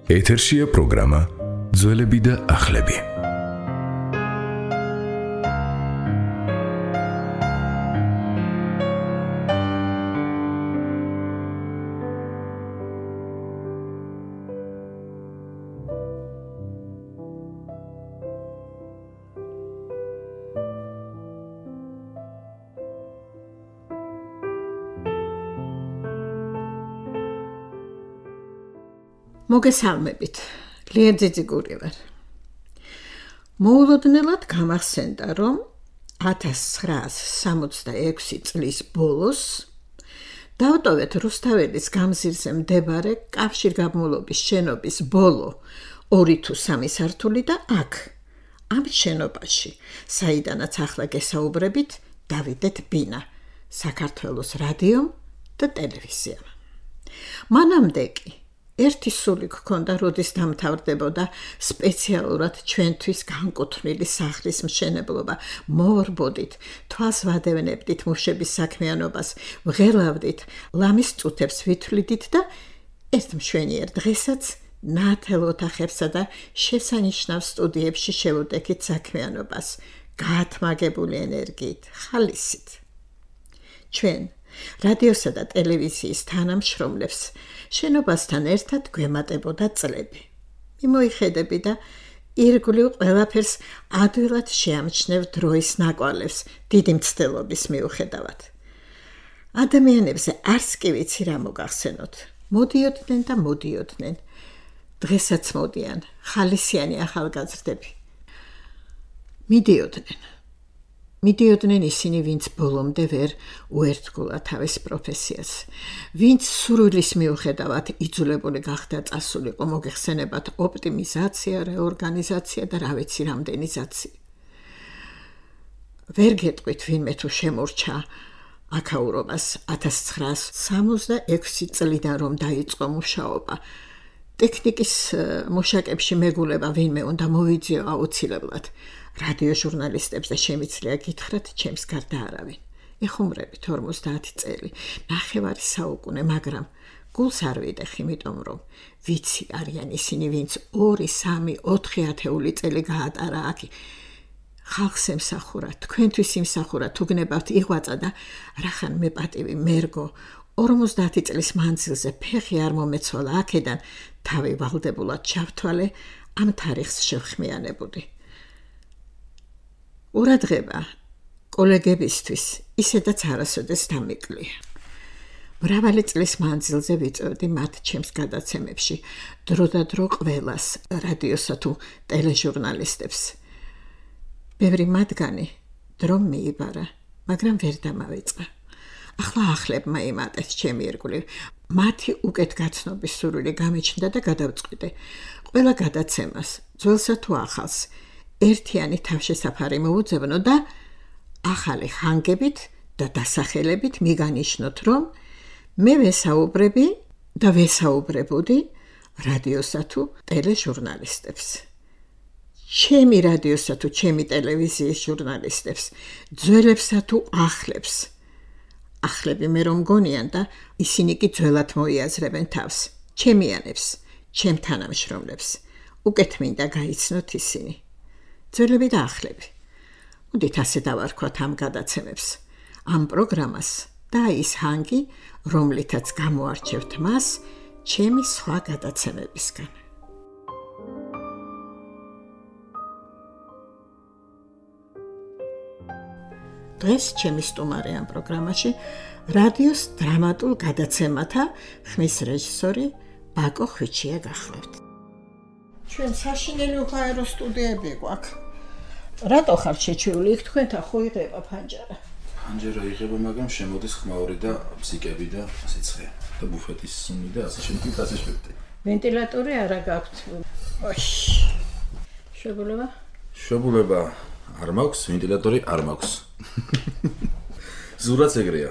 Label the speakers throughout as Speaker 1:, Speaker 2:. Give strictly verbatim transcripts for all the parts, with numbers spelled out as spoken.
Speaker 1: ეთერშია პროგრამა ძველები და ახლები.
Speaker 2: მოგესალმებით, ლიეძიძი გური ვარ. მოულოდნელად გამახსენდა, რომ ათას ცხრაას სამოცდაექვსი წლის ბოლოს დავტოვეთ რუსთაველის გამზირზე მდებარე კავშირგაბმულობის შენობის ბოლო ორი თუ სამი სართული და აქ, ამ შენობაში, საიდანაც ახლა გესაუბრებით, დავიდეთ ბინა, საქართველოს რადიომ და ტელევიზიამ. მანამდე კი ერთი სული გქონდა, როდის დამთავრდებოდა სპეციალურად ჩვენთვის განკუთვნილი სახლის მშენებლობა. მოვორბოდით, თვალს ვადევნებდით მუშების საქმიანობას, ვღელავდით, ლამის წუთებს ვითვლიდით და ერთ მშვენიერ დღესაც ნათელ ოთახებსა და შესანიშნავ სტუდიებში შევუდექით საქმიანობას, გაათმაგებული ენერგიით, ხალისით. ჩვენ რადიოსა და ტელევიზიის თანამშრომლებს შენობასთან ერთად გვემატებოდა წლები. მიმოიხედები და ირგვლივ ყველაფერს ადვილად შეამჩნევ დროის ნაკვალევს დიდი მცდელობის მიუხედავად. ადამიანებზე არც კი ვიცი რა მოგახსენოთ. მოდიოდნენ და მოდიოდნენ. დღესაც მოდიან ხალისიანი ახალგაზრდები. მიდიოდნენ. მიდიოდნენ ისინი, ვინც ბოლომდე ვერ უერთგულა თავის პროფესიას, ვინც სურვილის მიუხედავად იძულებული გახდა წასულიყო, მოგეხსენებათ ოპტიმიზაცია, რეორგანიზაცია და რა ვიცი რამდენიზაცია. ვერ გეტყვით ვინმე თუ შემორჩა აქაურობას ათას ცხრაას სამოცდაექვსი წლიდან რომ დაიწყო მუშაობა. ტექნიკის მუშაკებში მეგულება ვინმე უნდა მოვიძიო აუცილებლად. რადიო ჟურნალისტებს და შემიძლია გითხრათ, ჩემს გარდა არავინ. ეხუმრებით ორმოცდაათი წელი, ნახევარი საუკუნე, მაგრამ გულს არ ვიდეხ, იმიტომ რომ ვიცი არიან ისინი, ვინც ორი, სამი, ოთხი ათეული წელი გაატარა აქ. ხალხს ემსახურა, თქვენთვის იმსახურა, თუ გნებავთ იღვაწა და რახან მე პატივი მერგო, ორმოცდაათი წლის მანძილზე ფეხი არ მომეცვალა აქედან, თავი ვალდებულად ჩავთვალე, ამ თარიღს შევხმიანებოდი. ურადღება კოლეგებისთვის ისედაც არასოდეს დამიკლია. მრავალი წლის მანძილზე ვიწევდი მათ ჩემს გადაცემებში, დრო და დრო ყველას, რადიოსა თუ ტელეჟურნალისტებს. ბევრი მათგანი დრომ მიიბარა, მაგრამ ვერ დამავიწყა. ახლა ახლებმა იმატეთ ჩემი ირგვლივ. მათი უკეთგაცნობის სურვილი გამიჩნდა და გადავწყვიტე. ყველა გადაცემას, ძველსა თუ ახალს, ერთიანი თავშესაფარი მოუძებნო და ახალი ხანგებით და დასახელებით მიგანიშნოთ, რომ მე ვესაუბრები და ვესაუბრებოდი რადიოსა თუ ტელეჟურნალისტებს. ჩემი რადიოსა თუ ჩემი ტელევიზიის ჟურნალისტებს, ძველებსა თუ ახლებს. ახლები მე რომ გონიან და ისინი კი ძველად მოიაზრებენ თავს. ჩემიანებს, ჩემ თანამშრომლებს. უკეთ მინდა გაიცნოთ ისინი. ძველები და ახლები. მოდით ასე დავარქვათ ამ გადაცემებს, ამ პროგრამას და ის ჰანგი, რომლითაც გამოარჩევთ მას ჩემი სხვა გადაცემებისგან. დღეს ჩემი სტუმარი ამ პროგრამაში რადიოს დრამატულ გადაცემათა ხმის რეჟისორი ბაკო ხვიჩია გახლავთ. ჩვენ საშინელი უხაერო სტუდიები გვაქვს. რატო ხარ შეჩეული? იქ თქვენთან ხო იღება ფანჯარა?
Speaker 3: ფანჯარა იღება, მაგრამ შემოდის ხმაური და ბზიკები და ასე ცხე. და ბუფეტის სუნი და ასე შემდეგ და ასე შემდეგ.
Speaker 2: ვენტილატორი არა გაქვთ? ოშ. შეგულება?
Speaker 3: შეგულება არ მაქვს, ვენტილატორი არ მაქვს. ზურაც ეგრეა.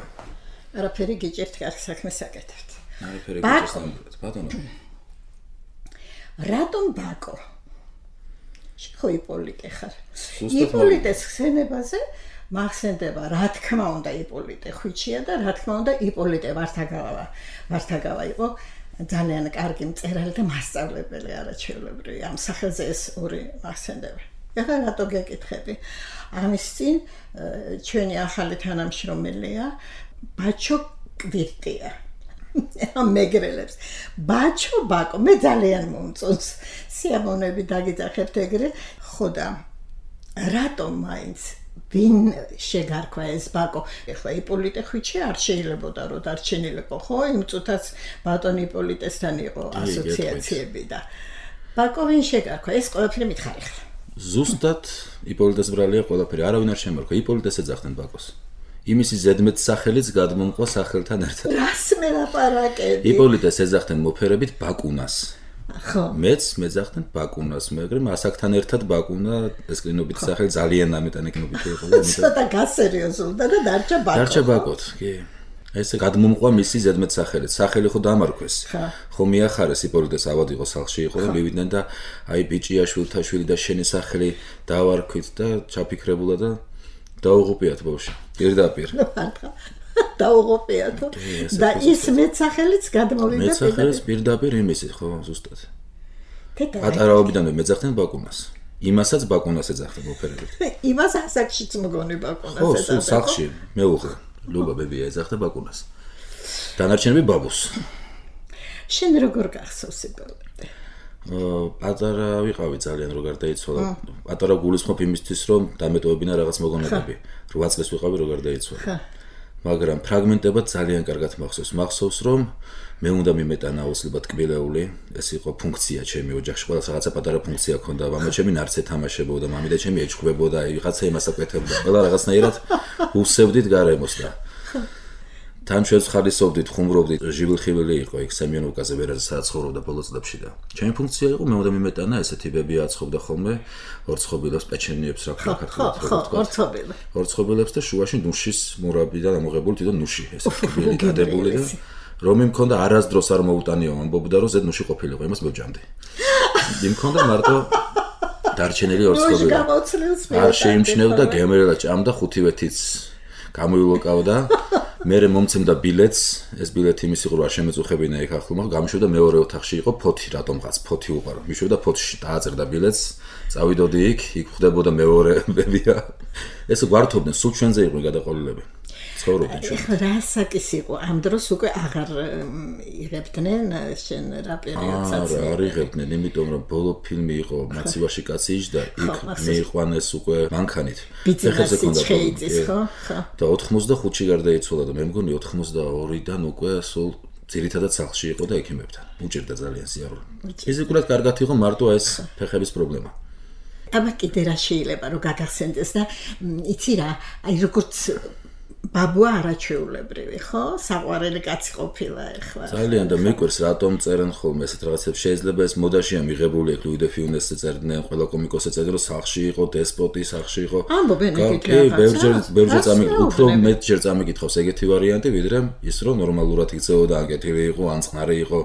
Speaker 2: არაფერი გიჭერთ, კარგ საქმეს აკეთებთ.
Speaker 3: არაფერი გიჭერთ, ბატონო.
Speaker 2: რატომ ბაკო? ხო იპოლიტე ხარ. იპოლიტეს ხსენებაზე მახსენდება, რა თქმა უნდა იპოლიტე ხვიჩია და რა თქმა უნდა იპოლიტე ვართაგავა. ვართაგავა იყო ძალიან კარგი მწერალი და მასწავლებელი არაჩვეულებრივი. ამ სახელზე ეს ორი ახსენდება. ეხლა რატო გეკითხები? ამის წინ ჩვენი ახალი თანამშრომელია ბაჩო კვირტია. ამ მეგრელებს. ბაჩო ბაკო, მე ძალიან მომწონს. სიამოვნები დაგიძახებთ ეგრე. ხო და რატომ მაინც ვინ შეგარქვა ეს ბაკო? ეხლა იპოლიტე ხვიჩი არ შეიძლებოდა რომ დარჩენილიყო, ხო? იმ წუთაც ბატონ იპოლიტესთან იყო ასოციაციები და ბაკო ვინ შეგარქვა? ეს ყველაფერი მითხარიხა.
Speaker 3: ზუსტად იპოლიტეს ბრალია ყველაფერი. არავინ არ შემარქვა. იპოლიტეს ეძახდნენ ბაკოს. იმისი ზედმეტ სახელიც გადმომყვა სახელთან ერთად.
Speaker 2: რას მელაპარაკები?
Speaker 3: იპოლიტეს ეძახდნენ მოფერებით ბაკუნას.
Speaker 2: ხო.
Speaker 3: მეც მეძახდნენ ბაკუნას, მაგრამ ასაკთან ერთად ბაკუნა ეს კლინობით სახელი ძალიან ამეტანეკნობით იყო და ამიტომ
Speaker 2: ცოტა გასერიოზულდა და დარჩა ბაკო.
Speaker 3: დარჩა ბაკოთ, კი. ესე გადმომყვა მისი ზედმეტ სახელით. სახელი ხო დამარქვეს. ხო მიახარეს იპოლიტეს ავად იყო სახლში იყო და მივიდნენ და აი ბიჭია შვილთაშვილი და შენი სახელი დავარქვით და ჩაფიქრებულა და დაუღუპიათ ბავშვი. პირდაპირ.
Speaker 2: დაუღუპიათ. და ის მეცახელიც გადმოვიდა
Speaker 3: პირდაპირ. მეცახელიც პირდაპირ იმისი ხო ზუსტად. პატარაობიდანვე მეძახდნენ ბაკუნას. იმასაც ბაკუნას ეძახდნენ მოფერებით.
Speaker 2: იმას ასაკშიც მგონი ბაკუნას
Speaker 3: ეძახდნენ.
Speaker 2: ეძახდნენ.
Speaker 3: ხო, სახლში მეუღლე ლუბა ბებია ეძახდა ბაკუნას. დანარჩენები ბაბუს.
Speaker 2: შენ როგორ გახსოვს იპოლიტე?
Speaker 3: პატარა ვიყავი ძალიან რო გარდაიცვალა. პატარა გულისხმობ იმისთვის რომ დამეტოვებინა რაღაც მოგონებები. რვა წელს ვიყავი რო გარდაიცვალა. მაგრამ ფრაგმენტებად ძალიან კარგად მახსოვს. მახსოვს რომ მე უნდა მიმეტანა აუცილებლად კბილეული. ეს იყო ფუნქცია ჩემი ოჯახში. ყველას რაღაცა პატარა ფუნქცია ჰქონდა. მამა ჩემი ნარცე თამაშებოდა, მამიდა ჩემი ეჩქუბებოდა, ვიღაცა იმას აკეთებდა. ყველა რაღაცნაირად უსევდით გარემოს და თან ჩვენს ხალისობდით, ხუმრობდით, ჟივილხივილი იყო იქ სემიონოვკაზე ვერაზე სადაც ცხოვრობდა ბოლო წლებში და ჩემი ფუნქცია იყო მე უნდა მიმეტანა ესეთი ბები აცხობდა ხოლმე ორცხობილებს, პეჩენიებს, რა ქვია ქართულად
Speaker 2: ხო, ორცხობილებს.
Speaker 3: ორცხობილებს და შუაში ნუშის მურაბიდან ამოღებული თვითონ ნუში, ესე კბილი დადებული და რომ იმ მქონდა არასდროს არ მოუტანიო, ამბობდა რომ ზედ ნუში ყოფილიყო, იმას მევჯამდი. იმ მქონდა მარტო დარჩენილი ორცხობილი. არ შეიმჩნევდა გემრიელად ჭამდა ხუთივეთიც გამოილოკავდა. მერე მომცემდა ბილეთს, ეს ბილეთი იმის იყო რომ არ შემეწუხებინა იქ ახლო, მაგრამ გამიშვიდა მეორე ოთახში იყო ფოთი, რატომღაც ფოთი უყარო. მიშვიდა ფოთში, დააწერდა ბილეთს, წავიდოდი იქ, იქ ხვდებოდა მეორე ბებია. ეს გვართობდნენ, სულ ჩვენზე იყო გადაყოლილები. ცხოვრობდნენ ჩვენ.
Speaker 2: ეხლა რა საკის იყო? ამ დროს უკვე აღარ იღებდნენ შენ რა პერიოდსაც?
Speaker 3: არა, არ იღებდნენ, იმიტომ რომ ბოლო ფილმი იყო მაცივაში კაცი იჯდა, იქ მიიყვანეს უკვე მანქანით.
Speaker 2: ფეხებზე ქონდა შეიწის, ხო? ხო.
Speaker 3: და ოთხმოცდახუთში გარდაიცვალა და მე მგონი ოთხმოცდაორიდან უკვე სულ ძირითადად სახლში იყო და ექიმებთან. უჭირდა ძალიან სიარული. ფიზიკურად კარგად იყო მარტო ეს ფეხების პრობლემა.
Speaker 2: აბა კიდე რა შეიძლება რომ გაგახსენდეს და იცი რა, აი როგორც ბაბუა არაჩვეულებრივი, ხო? საყვარელი კაცი ყოფილა ეხლა.
Speaker 3: ძალიან და მეკვირს რატომ წერენ ხოლმე ესეთ რაღაცებს. შეიძლება ეს მოდაშია მიღებული ეგ ლუი დე ფიუნესზე წერდნენ, ყველა კომიკოსი წერდა რომ სახლში იყო დესპოტი, სახლში იყო.
Speaker 2: ამბობენ ეგეთი
Speaker 3: რაღაცა. კი, ბევრჯერ ბევრჯერ წამიგ, უფრო მეტჯერ წამიგითხავს ეგეთი ვარიანტი, ვიდრე ის რომ ნორმალურად იქცეოდა, აკეთილი იყო, ან წყნარი იყო.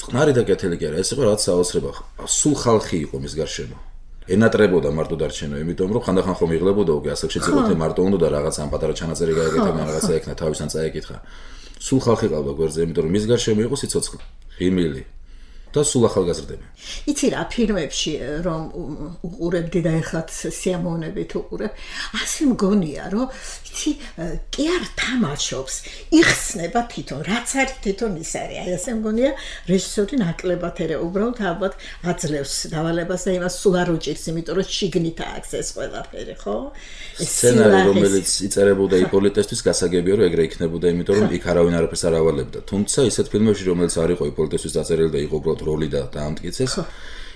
Speaker 3: წყნარი და კეთილი კი არა, ეს იყო რაღაც საოცრება. სულ ხალხი იყო მის გარშემო. ენატრებოდა მარტო დარჩენო, იმიტომ რომ ხანდახან ხომ იღლებოდა უკვე ასაკშიც იყო და მარტო უნდა და რაღაცა ამ პატარა ჩანაწერი გაეკეთა, რაღაცა ეკნა თავისთან წაეკითხა. სულ ხალხი ყავდა გვერდზე, იმიტომ რომ მის გარშემო იყო სიცოცხლე, ღიმილი და სულ ახალგაზრდები.
Speaker 2: იცი რა, ფილმებში რომ უყურებდი და ეხლაც სიამოვნებით უყურებ, ასე მგონია რომ იცი კი არ თამაშობს, იხსნება თვითონ, რაც არის თვითონ ის არის. აი ასე მგონია რეჟისორი ნაკლებად ერე უბრალოდ ალბათ აძლევს დავალებას და იმას სულ არ უჭირს, იმიტომ რომ შიგნით აქვს ეს ყველაფერი, ხო?
Speaker 3: სცენარი რომელიც იწერებოდა იპოლიტესთვის გასაგებია რომ ეგრე იქნებოდა, იმიტომ რომ იქ არავინ არაფერს არ ავალებდა. თუმცა ისეთ ფილმებში რომელიც არ იყო იპოლიტესთვის დაწერილი და იყო უბრალოდ როლი და დაამტკიცეს.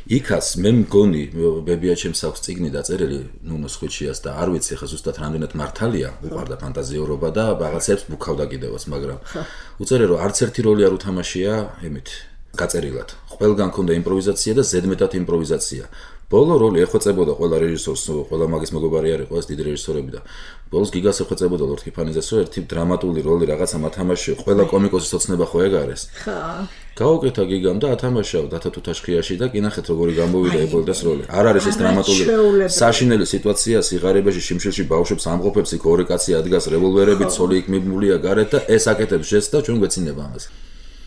Speaker 3: იქაც მე მგონი ბებია ჩემს აქვს წიგნი დაწერილი ნუნოს ხვიჩიას და არ ვიცი ხა ზუსტად რამდენად მართალია, უყარდა ფანტაზიურობა და რაღაცებს ბუქავდა კიდევაც, მაგრამ უწერე რომ არც ერთი როლი არ უთამაშია იმით გაწერილად. ყველგან ქონდა იმპროვიზაცია და ზედმეტად იმპროვიზაცია. ბოლო როლი ეხვეწებოდა ყველა რეჟისორს, ყველა მაგის მეგობარი არ იყო ეს დიდი რეჟისორები და ბოლოს გიგას ეხვეწებოდა ლორდ კიფანიძეს, რომ ერთი დრამატული როლი რაღაცა მათამაშია, ყველა კომიკოსის ოცნება ხო ეგ არის.
Speaker 2: ხო.
Speaker 3: გაუკეთა გიგამ და ათამაშავ დათათუთაშხიაში და კინახეთ როგორი გამოვიდა ებოლდეს როლი. არ არის ეს დრამატული საშინელი სიტუაცია, სიღარიბეში შიმშილში ბავშვებს ამყოფებს იქ ორი კაცი ადგას რევოლვერებით, ცოლი იქ მიბმულია გარეთ და ეს აკეთებს ჟესტს და ჩვენ გვეცინება ამას.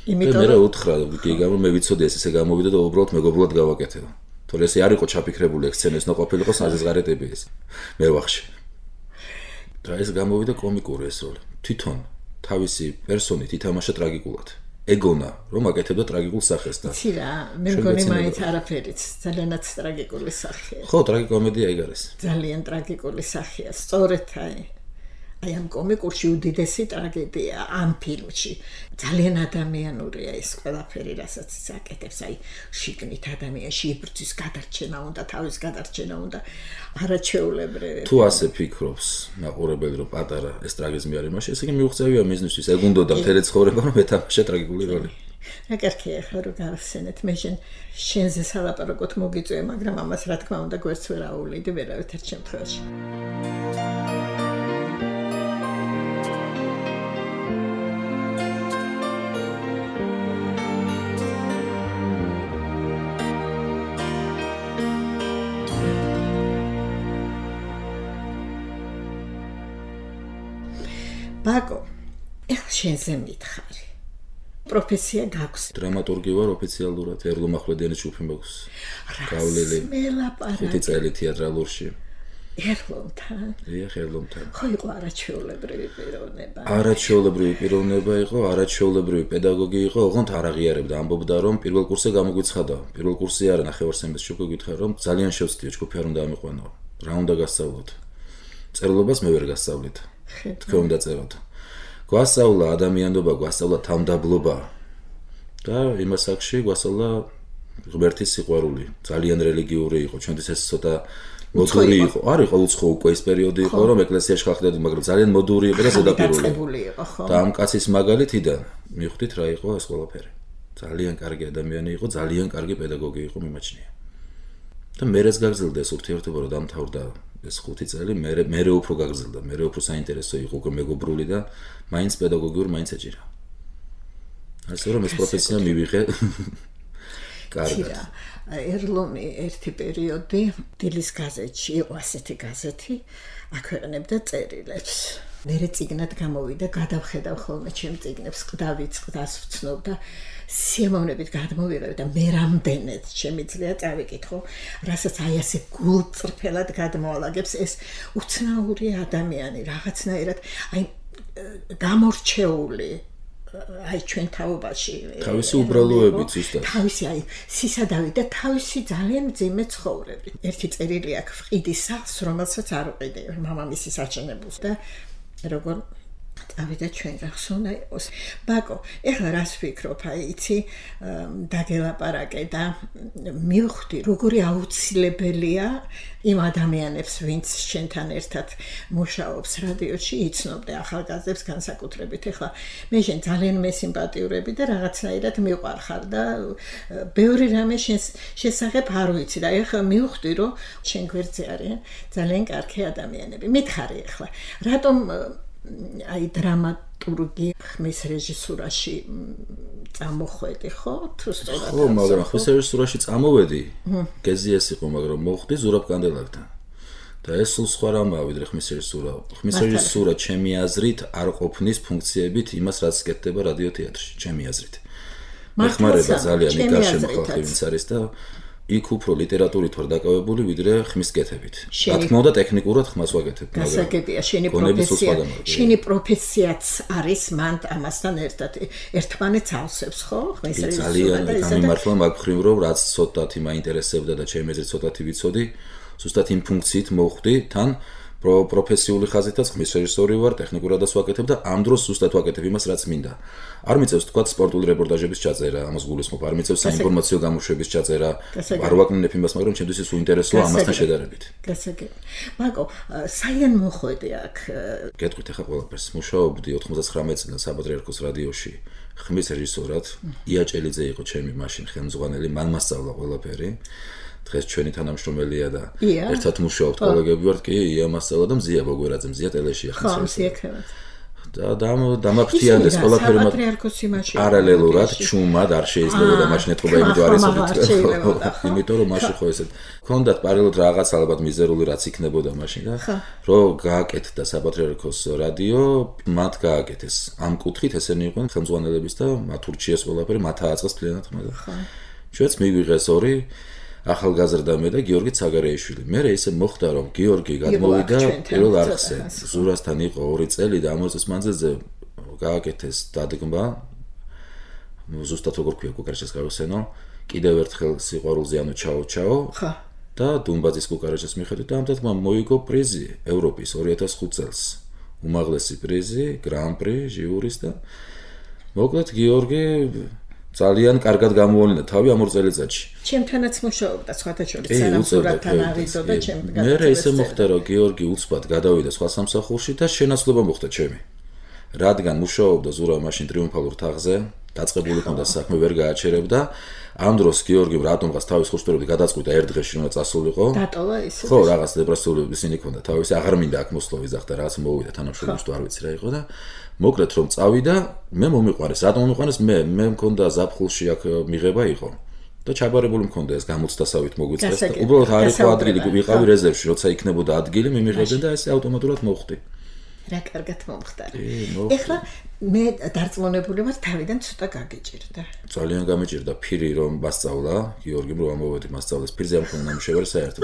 Speaker 2: იმიტომ
Speaker 3: მე რა უთხრა, გიგამ მე ვიცოდი ეს ესე გამოვიდა და უბრალოდ მეგობრულად გავაკეთე. თორე ეს არ იყო ჩაფიქრებული ექსცენეს, ნუ ყოფილიყო საზღარეტები ეს. მე ვახში. და ეს გამოვიდა კომიკური ეს როლი. თვითონ თავისი პერსონით ითამაშა ტრაგიკულად. ეგონა, რომ აკეთებდა ტრაგიკულ სახეს და
Speaker 2: იცი რა, მე მგონი მაინც არაფერიც, ძალიანაც ტრაგიკული სახეა.
Speaker 3: ხო, ტრაგიკომედია ეგ არის.
Speaker 2: ძალიან ტრაგიკული სახეა, სწორედ აი აი ამ კომიკურში უდიდესი ტრაგედია ამ ფილმში. ძალიან ადამიანურია ეს ყველაფერი, რასაც ის აკეთებს, აი შიგნით ადამიანში იბრძვის გადარჩენა უნდა, თავის გადარჩენა უნდა, არაჩვეულებრივი.
Speaker 3: თუ ასე ფიქრობს მაყურებელი, რომ პატარა ეს ტრაგიზმი არის მაშინ, ესე იგი მიუღწევია მიზნისთვის, ეგ უნდოდა მთელი ცხოვრება, რომ ეთამაშა ტრაგიკული როლი.
Speaker 2: რა კარგია ხო რომ გავხსენეთ, მე შენ შენზე სალაპარაკოთ მოგიწვია, მაგრამ ამას რა თქმა უნდა გვერდს ვერ აუვლიდი ვერავითარ შემთხვევაში. ბაკო, ეხლა შენზე მითხარი. პროფესია გაქვს.
Speaker 3: დრამატურგი ვარ ოფიციალურად, ერლო მახვლედიანის ჯგუფი მაქვს. გავლილი. ხუთი წელი თეატრალურში.
Speaker 2: ერლომთან?
Speaker 3: დიახ, ერლომთან.
Speaker 2: ხო იყო არაჩვეულებრივი პიროვნება.
Speaker 3: არაჩვეულებრივი პიროვნება იყო, არაჩვეულებრივი პედაგოგი იყო, ოღონდ არ აღიარებდა, ამბობდა რომ პირველ კურსზე გამოგვიცხადა. პირველ კურსზე არა, ნახევარ-სემესტრში უკვე გითხარ რომ ძალიან შევწდიო, ჯგუფი არ უნდა ამიყვანო. რა უნდა გასწავლოთ? წერლობას მე ვერ გასწავლით. თქვენ დაწეროთ. გვასწავლა ადამიანობა, გვასწავლა თავმდაბლობა. და იმას აქში გვასწავლა ღმერთის სიყვარული. ძალიან რელიგიური იყო, ჩვენთვის ეს ცოტა მოდური იყო. არ იყო უცხო უკვე ეს პერიოდი იყო, რომ ეკლესიაში ხალხი, მაგრამ ძალიან მოდური იყო და ზედაპირული. და ამ კაცის მაგალითიდან მივხვდით რა იყო ეს ყველაფერი. ძალიან კარგი ადამიანი იყო, ძალიან კარგი პედაგოგი იყო, მიმაჩნია. და მერეც გაგრძელდა ეს ურთიერთობა, რომ დამთავრდა ეს ხუთი წელი, მე მე უფრო გაგრძელდა, მე უფრო საინტერესო იყო უკვე მეგობრული და მაინც პედაგოგიურ მაინც ეჭირა. ასე რომ ეს პროფესია მივიღე. კარგად.
Speaker 2: ერლომი ერთი პერიოდი დილის გაზეთში იყო ასეთი გაზეთი, აქვეყნებდა წერილებს. მერე წიგნად გამოვიდა, გადავხედავ ხოლმე ჩემ წიგნებს, ყდავიც ყდას ვცნობ და სიამოვნებით გადმოვიღებ და მე რამდენად შემიძლია წავიკითხო, რასაც აი ასე გულწრფელად გადმოალაგებს ეს უცნაური ადამიანი, რაღაცნაირად აი გამორჩეული აი ჩვენ თაობაში
Speaker 3: თავისი უბრალოებით ზუსტად
Speaker 2: თავისი აი სისადავი და თავისი ძალიან მძიმე ცხოვრები. ერთი წერილი აქვს ყიდის სახლს, რომელსაც არ უყიდე მამამისის აჩენებულს და როგორ წავიდა ჩვენ რახს უნდა იყოს. ბაკო, ეხლა რას ვფიქრობ, აი იცი, დაგელაპარაკე და მივხვდი, როგორი აუცილებელია იმ ადამიანებს, ვინც შენთან ერთად მუშაობს რადიოში, იცნობდე ახალგაზრდებს განსაკუთრებით. ეხლა მე შენ ძალიან მესიმპათიურები და რაღაცნაირად მიყვარხარ და ბევრი რამე შენს შესახებ არ ვიცი და ეხლა მივხვდი, რომ შენ გვერდზე არიან ძალიან კარგი ადამიანები. მითხარი ეხლა, რატომ აი დრამატურგი ხმის რეჟისურაში წამოხვედი ხო? თუ სწორად
Speaker 3: ხო, მაგრამ ხმის რეჟისურაში წამოვედი. გეზი ეს იყო, მაგრამ მოხვდი ზურაბ კანდელაკთან. და ეს სულ სხვა რამაა ვიდრე ხმის რეჟისურა. ხმის რეჟისურა ჩემი აზრით არ ყოფნის ფუნქციებით იმას, რაც კეთდება რადიო თეატრში, ჩემი აზრით. მეხმარება ძალიან იქ გარშემო ხალხი ვინც არის და იქ უფრო ლიტერატურით ვარ დაკავებული ვიდრე ხმის კეთებით. რა თქმა უნდა ტექნიკურად ხმას ვაკეთებ, მაგრამ
Speaker 2: გასაგებია შენი პროფესია. შენი ප්‍රოფესიაც არის მან ამასთან ერთად ერთმანეთს ავსებს, ხო? ხმის რეჟისურა
Speaker 3: ძალიან გამიმართლა მაგ ხრივ რომ რაც ცოტათი მაინტერესებდა და ჩემი აზრით ცოტათი ვიცოდი, ზუსტად იმ ფუნქციით მოვხვდი თან პროფესიული ხაზითაც ხმის რეჟისორი ვარ, ტექნიკურადაც ვაკეთებ და ამ დროს ზუსტად ვაკეთებ იმას, რაც მინდა. არ მიწევს თქვა სპორტული რეპორტაჟების ჩაწერა, ამას გულისხმობ, არ მიწევს საინფორმაციო გამოშვების ჩაწერა, არ ვაკნინებ იმას, მაგრამ ჩემთვის ის უინტერესოა ამასთან შედარებით.
Speaker 2: გასაგებია. ბაკო, საიდან მოხვედი აქ?
Speaker 3: გეტყვით ახლა ყველაფერს. მუშაობდი ოთხმოცდათხრამეტი წლიდან საპატრიარქოს რადიოში ხმის რეჟისორად. ია ჭელიძე იყო ჩემი მაშინ ხელმძღვანელი, მან მასწავლა ყველაფერი. დღეს ჩვენი თანამშრომელია და ერთად მუშაობთ კოლეგები ვართ, კი, ია მასწავლა და მზია ბოგვერაძე, მზია ტელეში ახლა.
Speaker 2: ხო, მზია ქრევათ.
Speaker 3: და დამაფრთიანდეს ყველაფერი
Speaker 2: საპატრიარქოსი მაშინ
Speaker 3: პარალელურად ჩუმად არ შეიძლებოდა მაშინ ეთყობა იმიტომ არ იცოდით იმიტომ რომ მაშინ ხო ესეთ ქონდათ პარალელურად რაღაც ალბათ მიზერული რაც იქნებოდა მაშინ და რომ გააკეთდა საპატრიარქოს რადიო მათ გააკეთეს ამ კუთხით ესენი იყვნენ ხელმძღვანელების და მათ ურჩიეს ყველაფერი მათ ააწყეს მთლიანად ხმა და ჩვენც მიგვიღეს ორი ახალგაზრდა მე და გიორგი ცაგარეიშვილი. მე ისე მოხდა რომ გიორგი გადმოვიდა პირველ არხზე. ზურასთან იყო ორი წელი და ამ წელს მანძილზე გააკეთეს დადგმა. ზუსტად როგორ ქვია კუკარეჩეს გავხსენო. კიდევ ერთხელ სიყვარულზე ანუ ჩაო ჩაო. ხა. და დუმბაძის კუკარეჩეს მიხედვით და ამ დადგმამ მოიგო პრიზი ევროპის ორი ათას ხუთ წელს. უმაღლესი პრიზი, გრან-პრი, ჟიურის და მოკლედ გიორგი ძალიან კარგად გამოვლინდა თავი ამ ორ წელიწადში.
Speaker 2: ჩემთანაც მუშაობდა სხვათა შორის სანამ სურათთან ავიდო და ჩემთან.
Speaker 3: მე ისე მოხდა რომ გიორგი უცბად გადავიდა სხვა სამსახურში და შენაცვლება მოხდა ჩემი. რადგან მუშაობდა ზურა მაშინ ტრიუმფალურ თაღზე, დაწყებული ჰქონდა საქმე, ვერ გააჩერებდა. ამ დროს გიორგიმ რატომღაც თავის ხუშტურები გადაწყვიტა ერთ დღეში რომ წასულიყო.
Speaker 2: დატოვა ისე.
Speaker 3: ხო, რაღაც დეპრესიული ისინი ჰქონდა თავისი, აღარ მინდა აქ მოსვლა ვიზახდა, რაღაც მოვიდა თანამშრომლებს თუ არ ვიცი რა იყო და მოკლედ რომ წავიდა, მე მომიყვანეს, რატომ მომიყვანეს მე, მე მქონდა ზაფხულში აქ მიღება იყო. და ჩაბარებული მქონდა ეს გამოცდასავით მოგვიწეს და უბრალოდ არ იყო ადგილი, ვიყავი რეზერვში, როცა იქნებოდა ადგილი, მიმიღებდნენ და ესე ავტომატურად მოხდი.
Speaker 2: რა კარგად მომხდარა. ეხლა მე დარწმუნებული ვარ თავიდან ცოტა გაგიჭირდა.
Speaker 3: ძალიან გამიჭირდა ფირი რომ მასწავლა, გიორგიმ რომ ამოვედი მასწავლის ფირზე ამ ხომ ნამუშევარი საერთოდ.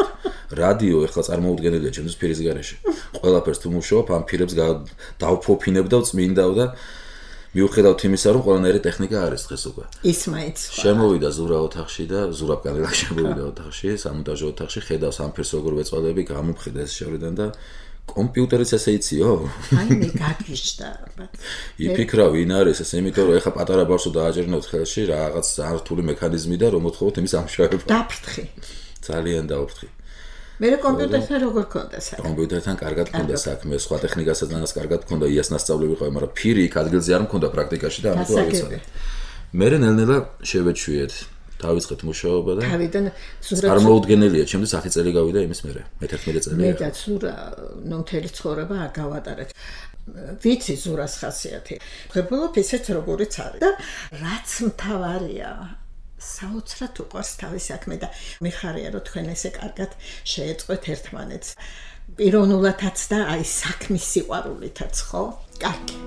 Speaker 3: რადიო ეხლა წარმოუდგენელია ჩემთვის ფირის გარეშე. ყველაფერს თუ მუშაობ ამ ფირებს დავფოფინებ და წმინდავ და მიუხედავთ იმისა რომ ყველანაირი ტექნიკა არის დღეს უკვე.
Speaker 2: ის მაინც.
Speaker 3: შემოვიდა ზურა ოთახში და ზურა კანელა შემოვიდა ოთახში, სამონტაჟო ოთახში, ხედავს ამ ფირს როგორ ვეწვალები, გამოფხიდა ეს შევრიდან და კომპიუტერიც ესე იციო?
Speaker 2: აი მე გაგიჟდა.
Speaker 3: იფიქრა ვინ არის ეს, იმიტომ რომ ეხა პატარა ბავშვს დააჭერნოთ ხელში რაღაც რთული მექანიზმი და რომ მოთხოვოთ იმის ამშვენებლად.
Speaker 2: დაფრთხი.
Speaker 3: ძალიან დაუფრთხი.
Speaker 2: მე კომპიუტერთან როგორ ქონდა საქმე?
Speaker 3: კომპიუტერთან კარგად ქონდა საქმე, სხვა ტექნიკასაც კარგად ქონდა, იას ნასწავლები ყავი, მაგრამ ფირი იქ ადგილზე არ მქონდა პრაქტიკაში და ამიტომ არ ვიცოდი. მე ნელ-ნელა შევეჩვიეთ. დავიწყეთ მუშაობა და
Speaker 2: თავიდან ზურა
Speaker 3: წარმოუდგენელია, ჩემთვის ათი წელი გავიდა იმის მერე, მეთერთმეტი წელია.
Speaker 2: მე და ზურა ნუ მთელი ცხოვრება არ გავატარეთ. ვიცი ზურას ხასიათი. ვღებულობ ისეთ როგორიც არის და რაც მთავარია საოცრად უყვარს თავის საქმე და მიხარია რომ თქვენ ესე კარგად შეეწყვეთ ერთმანეთს. პიროვნულადაც და აი საქმის სიყვარულითაც, ხო? კარგი.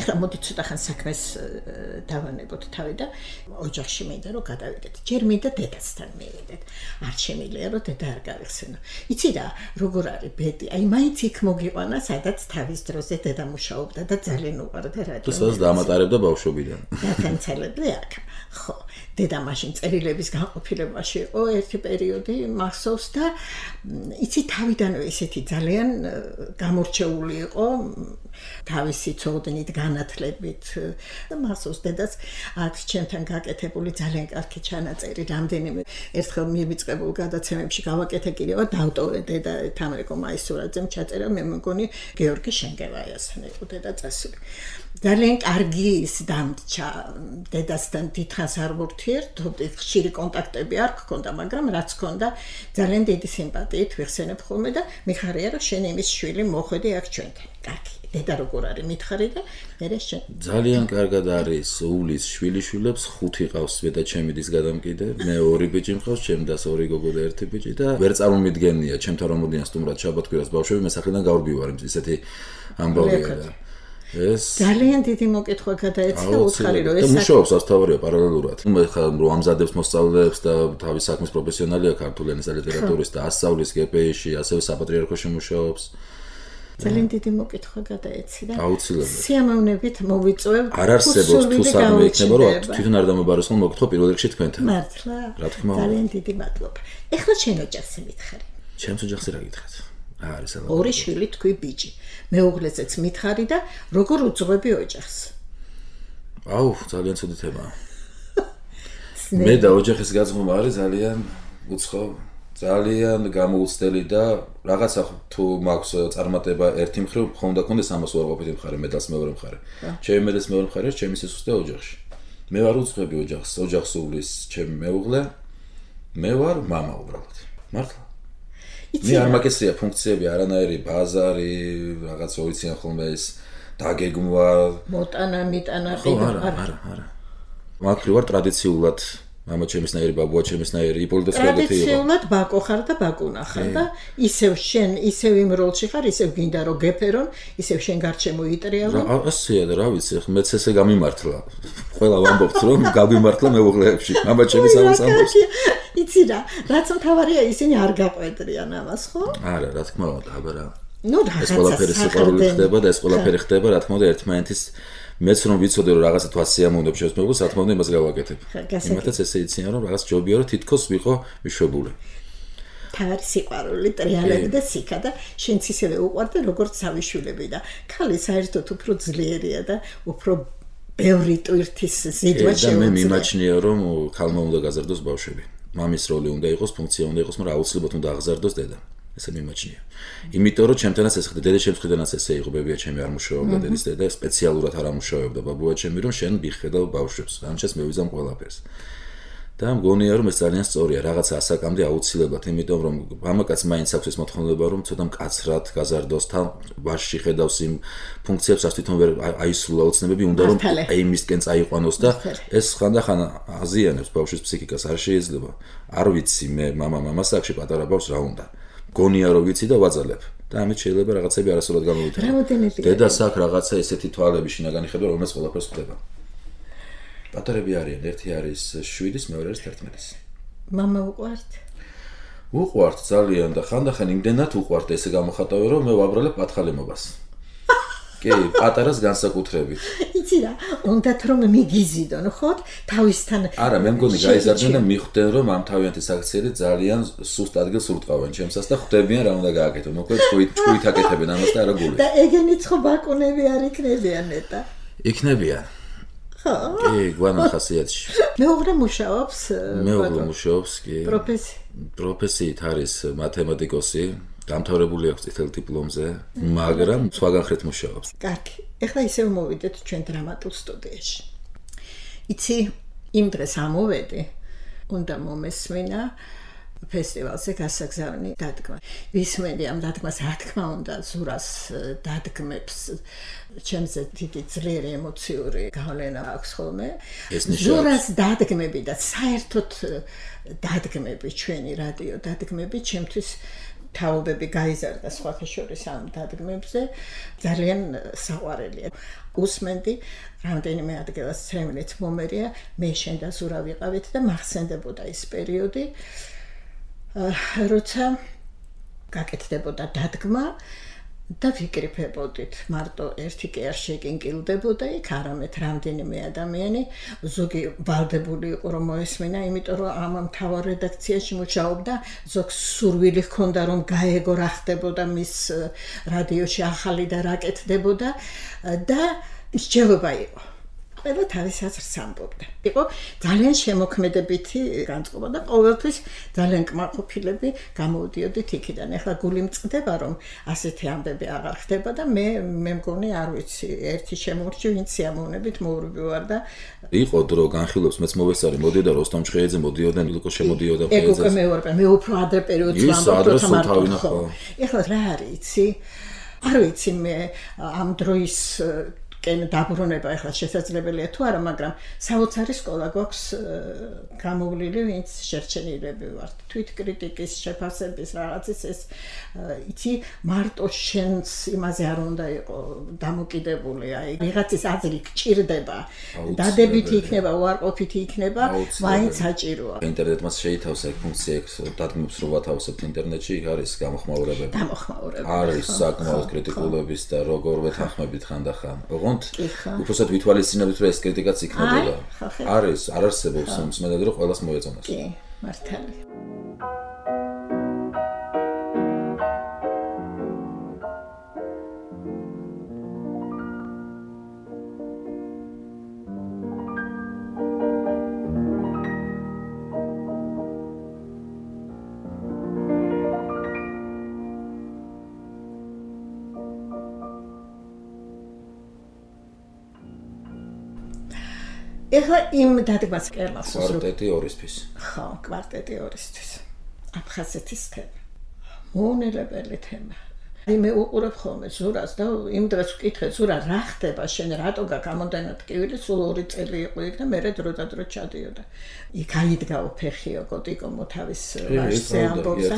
Speaker 2: ეხლა მოდი ცოტა ხან საქმეს დავანებოთ თავი და ოჯახში მინდა რომ გადავიდეთ. ჯერ მინდა დედასთან მივიდეთ. არ შემიძლია რომ დედა არ გავიხსენო. იცი რა, როგორ არის ბედი? აი მაინც იქ მოგიყვანა, სადაც თავის დროზე დედა მუშაობდა და ძალიან უყვარდა რადიო.
Speaker 3: თუ სადაც დაამატარებდა ბავშვობიდან.
Speaker 2: დათანცელები აქ. ხო, დედა მაშინ წერილების განყოფილებაში იყო ერთი პერიოდი მახსოვს და იცი თავიდანვე ისეთი ძალიან გამორჩეული იყო თავისი ცოდნით, განათლებით და მახსოვს დედას აქვს ჩემთან გაკეთებული ძალიან კარგი ჩანაწერი, რამდენიმე ერთხელ მივიწყებულ გადაცემებში გავაკეთე კიდევ დავტოვე დედა თამრიკო მაისურაძემ ჩაწერა, მე მგონი გეორგი შენგელაიასთან იყო დედა წასული. ძალიან კარგი ის დამრჩა დედასთან დიდხანს არ ვურთიერთობდი, ხშირი კონტაქტები არ გქონდა, მაგრამ რაც ჰქონდა ძალიან დიდი სიმპათიით ვიხსენებ ხოლმე და მიხარია რომ შენ იმის შვილი მოხვედი აქ ჩვენთან. კარგი. დედა როგორ არის მითხარი და მე შენ
Speaker 3: ძალიან კარგად არის უვლის შვილიშვილებს ხუთი ყავს და ჩემი დის გადამკიდე მე ორი ბიჭი მყავს ჩემ დას ორი გოგო და ერთი ბიჭი და ვერ წარმომიდგენია ჩემთან რომ მოდიან სტუმრად შაბათ-კვირას ბავშვები მე სახლიდან გავრბივარ ისეთი ამბავია და ეს
Speaker 2: ძალიან დიდი მოკითხვა გადაეცა უცხარი რომ ეს
Speaker 3: და მუშაობს ასთავარია პარალელურად მე ხა რომ ამზადებს მოსწავლეებს და თავის საქმის პროფესიონალია ქართული ენის და ლიტერატურის და ასწავლის გპ-ში ასევე საპატრიარქოში მუშაობს
Speaker 2: ძალიან დიდი მოკითხვა გადაეცი და
Speaker 3: აუცილებლად
Speaker 2: სიამოვნებით მოვიწვევ
Speaker 3: არ არსებობს თუ საქმე იქნება რომ თვითონ არ დამებაროს ხოლმე მოკითხვა პირველ რიგში თქვენთან
Speaker 2: მართლა
Speaker 3: რა თქმა უნდა
Speaker 2: ძალიან დიდი მადლობა ეხლა შენ ოჯახზე მითხარი
Speaker 3: ჩემს ოჯახზე რა გითხრათ რა არის აბა
Speaker 2: ორი შვილი თქვი ბიჭი მეუღლესეც მითხარი და როგორ უძღვები ოჯახს
Speaker 3: აუ ძალიან ცუდი თემაა მე და ოჯახის გაზღობა არის ძალიან უცხო ძალიან გამოუცდელი და რაღაცა თუ მაქვს წარმატება ერთი მხრივ ხონდა კონდეს ამას უარყოფითი მხარე, მედალს მეორე მხარე. ჩემი მედლის მეორე მხარე ჩემი სისუსტე და ოჯახში. მე ვარ უძღვები ოჯახს, ოჯახს უვლის ჩემი მეუღლე. მე ვარ мама უბრალოდ. მართლა. მე არ მაგესია ფუნქციები, არანაირი ბაზარი, რაღაც ოიციან ხოლმე ეს დაგეგმვა,
Speaker 2: მოტანა, მიტანა,
Speaker 3: არა, არა, არა. მაგრივ ვარ ტრადიციულად მამა ჩემისნაირი, ბაბუა ჩემისნაირი, იპოლიტეს ყველეთი იყო.
Speaker 2: ტრადიციულად ბაკო ხარ და ბაკუნა ხარ და ისევ შენ, ისევ იმ როლში ხარ, ისევ გინდა რომ გეფერონ, ისევ შენ გარჩემო იტრიალო.
Speaker 3: ასეა და რა ვიცი, მეც ესე გამიმართლა. ყველა ვამბობთ რომ გაგვიმართლა მეუღლეებში. მამა ჩემის ამას ამბობს.
Speaker 2: იცი რა, რაც მთავარია ისინი არ გაყვედრიან ამას, ხო?
Speaker 3: არა, რა თქმა უნდა, აბა რა.
Speaker 2: ნუ რაღაცა
Speaker 3: ეს ყველაფერი სიყვარული ხდება და ეს ყველაფერი ხდება, რა თქმა უნდა, ერთმანეთის მეც რომ ვიცოდე რომ რაღაცა თვა სიამოვნებ შევს მეგობრს, რა თქმა უნდა, იმას გავაკეთებ. იმათაც ესე იციან რომ რაღაც ჯობია რომ თითქოს ვიყო მიშვებული.
Speaker 2: თავი სიყვარული, ტრიალები და სიკა და შენც ისევე უყვარდა როგორც სავიშვილები და ქალი საერთოდ უფრო ძლიერია და უფრო ბევრი ტვირთის ზიდვა
Speaker 3: შეუძლია. და მე მიმაჩნია რომ ქალმა უნდა გაზარდოს ბავშვები. მამის როლი უნდა იყოს, ფუნქცია უნდა იყოს, მაგრამ აუცილებლად უნდა აღზარდოს დედა. ესე მიმაჩნია. იმიტომ რომ ჩემთანაც ეს ხდება, დედა ჩემს მხრიდანაც ესე იყო, ბებია ჩემი არ მუშაობდა, დედის დედა სპეციალურად არ ამუშავებდა, ბაბუა ჩემი რომ შენ მიხედავ ბავშვებს, ამჩას მე ვიზამ ყველაფერს. და მგონია რომ ეს ძალიან სწორია, რაღაცა ასაკამდე აუცილებლად, იმიტომ რომ მამაკაც მაინც აქვს ეს მოთხოვნება რომ ცოტა მკაცრად გაზარდოს, თან ვაშში ხედავს იმ ფუნქციებს, რაც თვითონ ვერ აისრულა ოცნებები, უნდა რომ აი მისკენ წაიყვანოს და ეს ხანდახან აზიანებს ბავშვის ფსიქიკას, არ შეიძლება. არ ვიცი მე მამა მამასაკში პატარა ბავშვს რა უნდა. გონია რომ ვიცი და ვაძალებ და ამით შეიძლება რაღაცები არასწორად გამოვითაროს. დედას აქვს რაღაცა ესეთი თვალები შინაგანი ხედვა, რომელიც ყველაფერს ხვდება. პატარები არიან, ერთი არის შვიდის, მეორე არის თერთმეტის.
Speaker 2: მამა უყვართ?
Speaker 3: უყვართ ძალიან და ხანდახან იმდენად უყვართ ესე გამოხატავე რომ მე ვაბრალებ პათხალემობას. კი, პატარას განსაკუთრებით.
Speaker 2: იცი რა, უნდათ რომ მიგიზიდონ, ხო? თავისთან.
Speaker 3: არა, მე მგონი გაიზარდნენ და მიხვდნენ რომ ამ თავიანთი საქციელი ძალიან სუსტ ადგილს ურტყავენ ჩემსას და ხვდებიან რა უნდა გააკეთო. მოკლედ ჭუით ჭუით აკეთებენ ამას და არა გულით.
Speaker 2: და ეგენიც ხო ბაკუნები არ იქნებიან ნეტა?
Speaker 3: იქნებიან. ხო. კი, გვანა ხასიათში.
Speaker 2: მეუღლე მუშაობს?
Speaker 3: მეუღლე მუშაობს, კი.
Speaker 2: პროფესი?
Speaker 3: პროფესიით არის მათემატიკოსი. დამთავრებული აქვს წითელ დიპლომზე, მაგრამ სხვაგან ხრით მუშაობს.
Speaker 2: კარგი. ეხლა ისევ მოვიდეთ ჩვენ დრამატულ სტუდიაში. იცი, იმ დღეს ამოვედი, უნდა მომესმინა ფესტივალზე გასაგზავნი დადგმა. ვისმენდი ამ დადგმას, რა თქმა უნდა, ზურას დადგმებს, ჩემზე დიდი ძლიერი ემოციური გავლენა აქვს ხოლმე. ზურას დადგმები და საერთოდ დადგმები, ჩვენი რადიო დადგმები, ჩემთვის თაობები გაიზარდა სხვათა შორის ამ დადგმებზე, ძალიან საყვარელია. უსმენდი, რამდენიმე ადგილას ცრემლით მომერია, მე შენ და ზურა ვიყავით და მახსენდებოდა ის პერიოდი, როცა გაკეთდებოდა დადგმა და ვიკრიფებოდით, მარტო ერთი კი არ შეგინკილდებოდა იქ, არამედ რამდენიმე ადამიანი, ზოგი ვალდებული იყო რომ მოესმინა, იმიტომ რომ ამ მთავარ რედაქციაში მუშაობდა, ზოგს სურვილი ჰქონდა რომ გაეგო რა ხდებოდა მის რადიოში ახალი და რა კეთდებოდა და მსჯელობა იყო. ყველა თავის აზრს ამბობდა. იყო ძალიან შემოქმედებითი განწყობა და ყოველთვის ძალიან კმაყოფილები გამოვდიოდით იქიდან. ეხლა გული მწყდება რომ ასეთი ამბები აღარ ხდება და მე მე მგონი არ ვიცი, ერთი შემორჩი, ვინც სიამოვნებით მოურვი ვარ და
Speaker 3: იყო დრო განხილვებს მეც მოვესწარი, მოდიოდა როსტომ ჩხეიძე, მოდიოდა ნილკო შემოდიოდა
Speaker 2: ფეიძე. ეგ უკვე მე ვარ, მე უფრო ადრე პერიოდში ვამბობ თამარ. ეხლა რა არის, იცი? არ ვიცი მე ამ დროის კენ დაბრუნება ახლა შესაძლებელია თუ არა, მაგრამ საოცარი სკოლა გვაქვს გამოვლილი, ვინც შერჩენილები ვართ. თვითკრიტიკის, შეფასების რაღაცის ეს იცი, მარტო შენს იმაზე არ უნდა იყო დამოკიდებული, აი ვიღაცის აზრი გჭირდება, დადებითი იქნება, უარყოფითი იქნება, მაინც საჭიროა.
Speaker 3: ინტერნეტმა შეითავსა ეგ ფუნქცია, დადგმებს რო ვათავსებთ ინტერნეტში, იქ არის გამოხმაურებები.
Speaker 2: გამოხმაურებები.
Speaker 3: არის საკმაოდ კრიტიკულების და როგორ ვეთანხმებით ხანდახან. უბრალოდ ვითვალისწინებთ რომ ეს კრიტიკაც იქნებოდა. არის, არ არსებობს მსმენელი რომ ყველას მოეწონოს.
Speaker 2: კი, მართალია. ეხლა იმ დადგმას კერმას
Speaker 3: კვარტეტი ორისთვის.
Speaker 2: ხო, კვარტეტი ორისთვის. აფხაზეთის თემა. მოუნელებელი თემა. მე უყურებ ხოლმე ზურას და იმ დროს ვკითხე ზურა რა ხდება შენ რატო გაგამონდანა ტკივილი სულ ორი წელი იყო იქ და მე დრო და დრო ჩადიოდა იქ აიდგა უფეხიო კოტიკო მოთავის ვაშზე ამბობს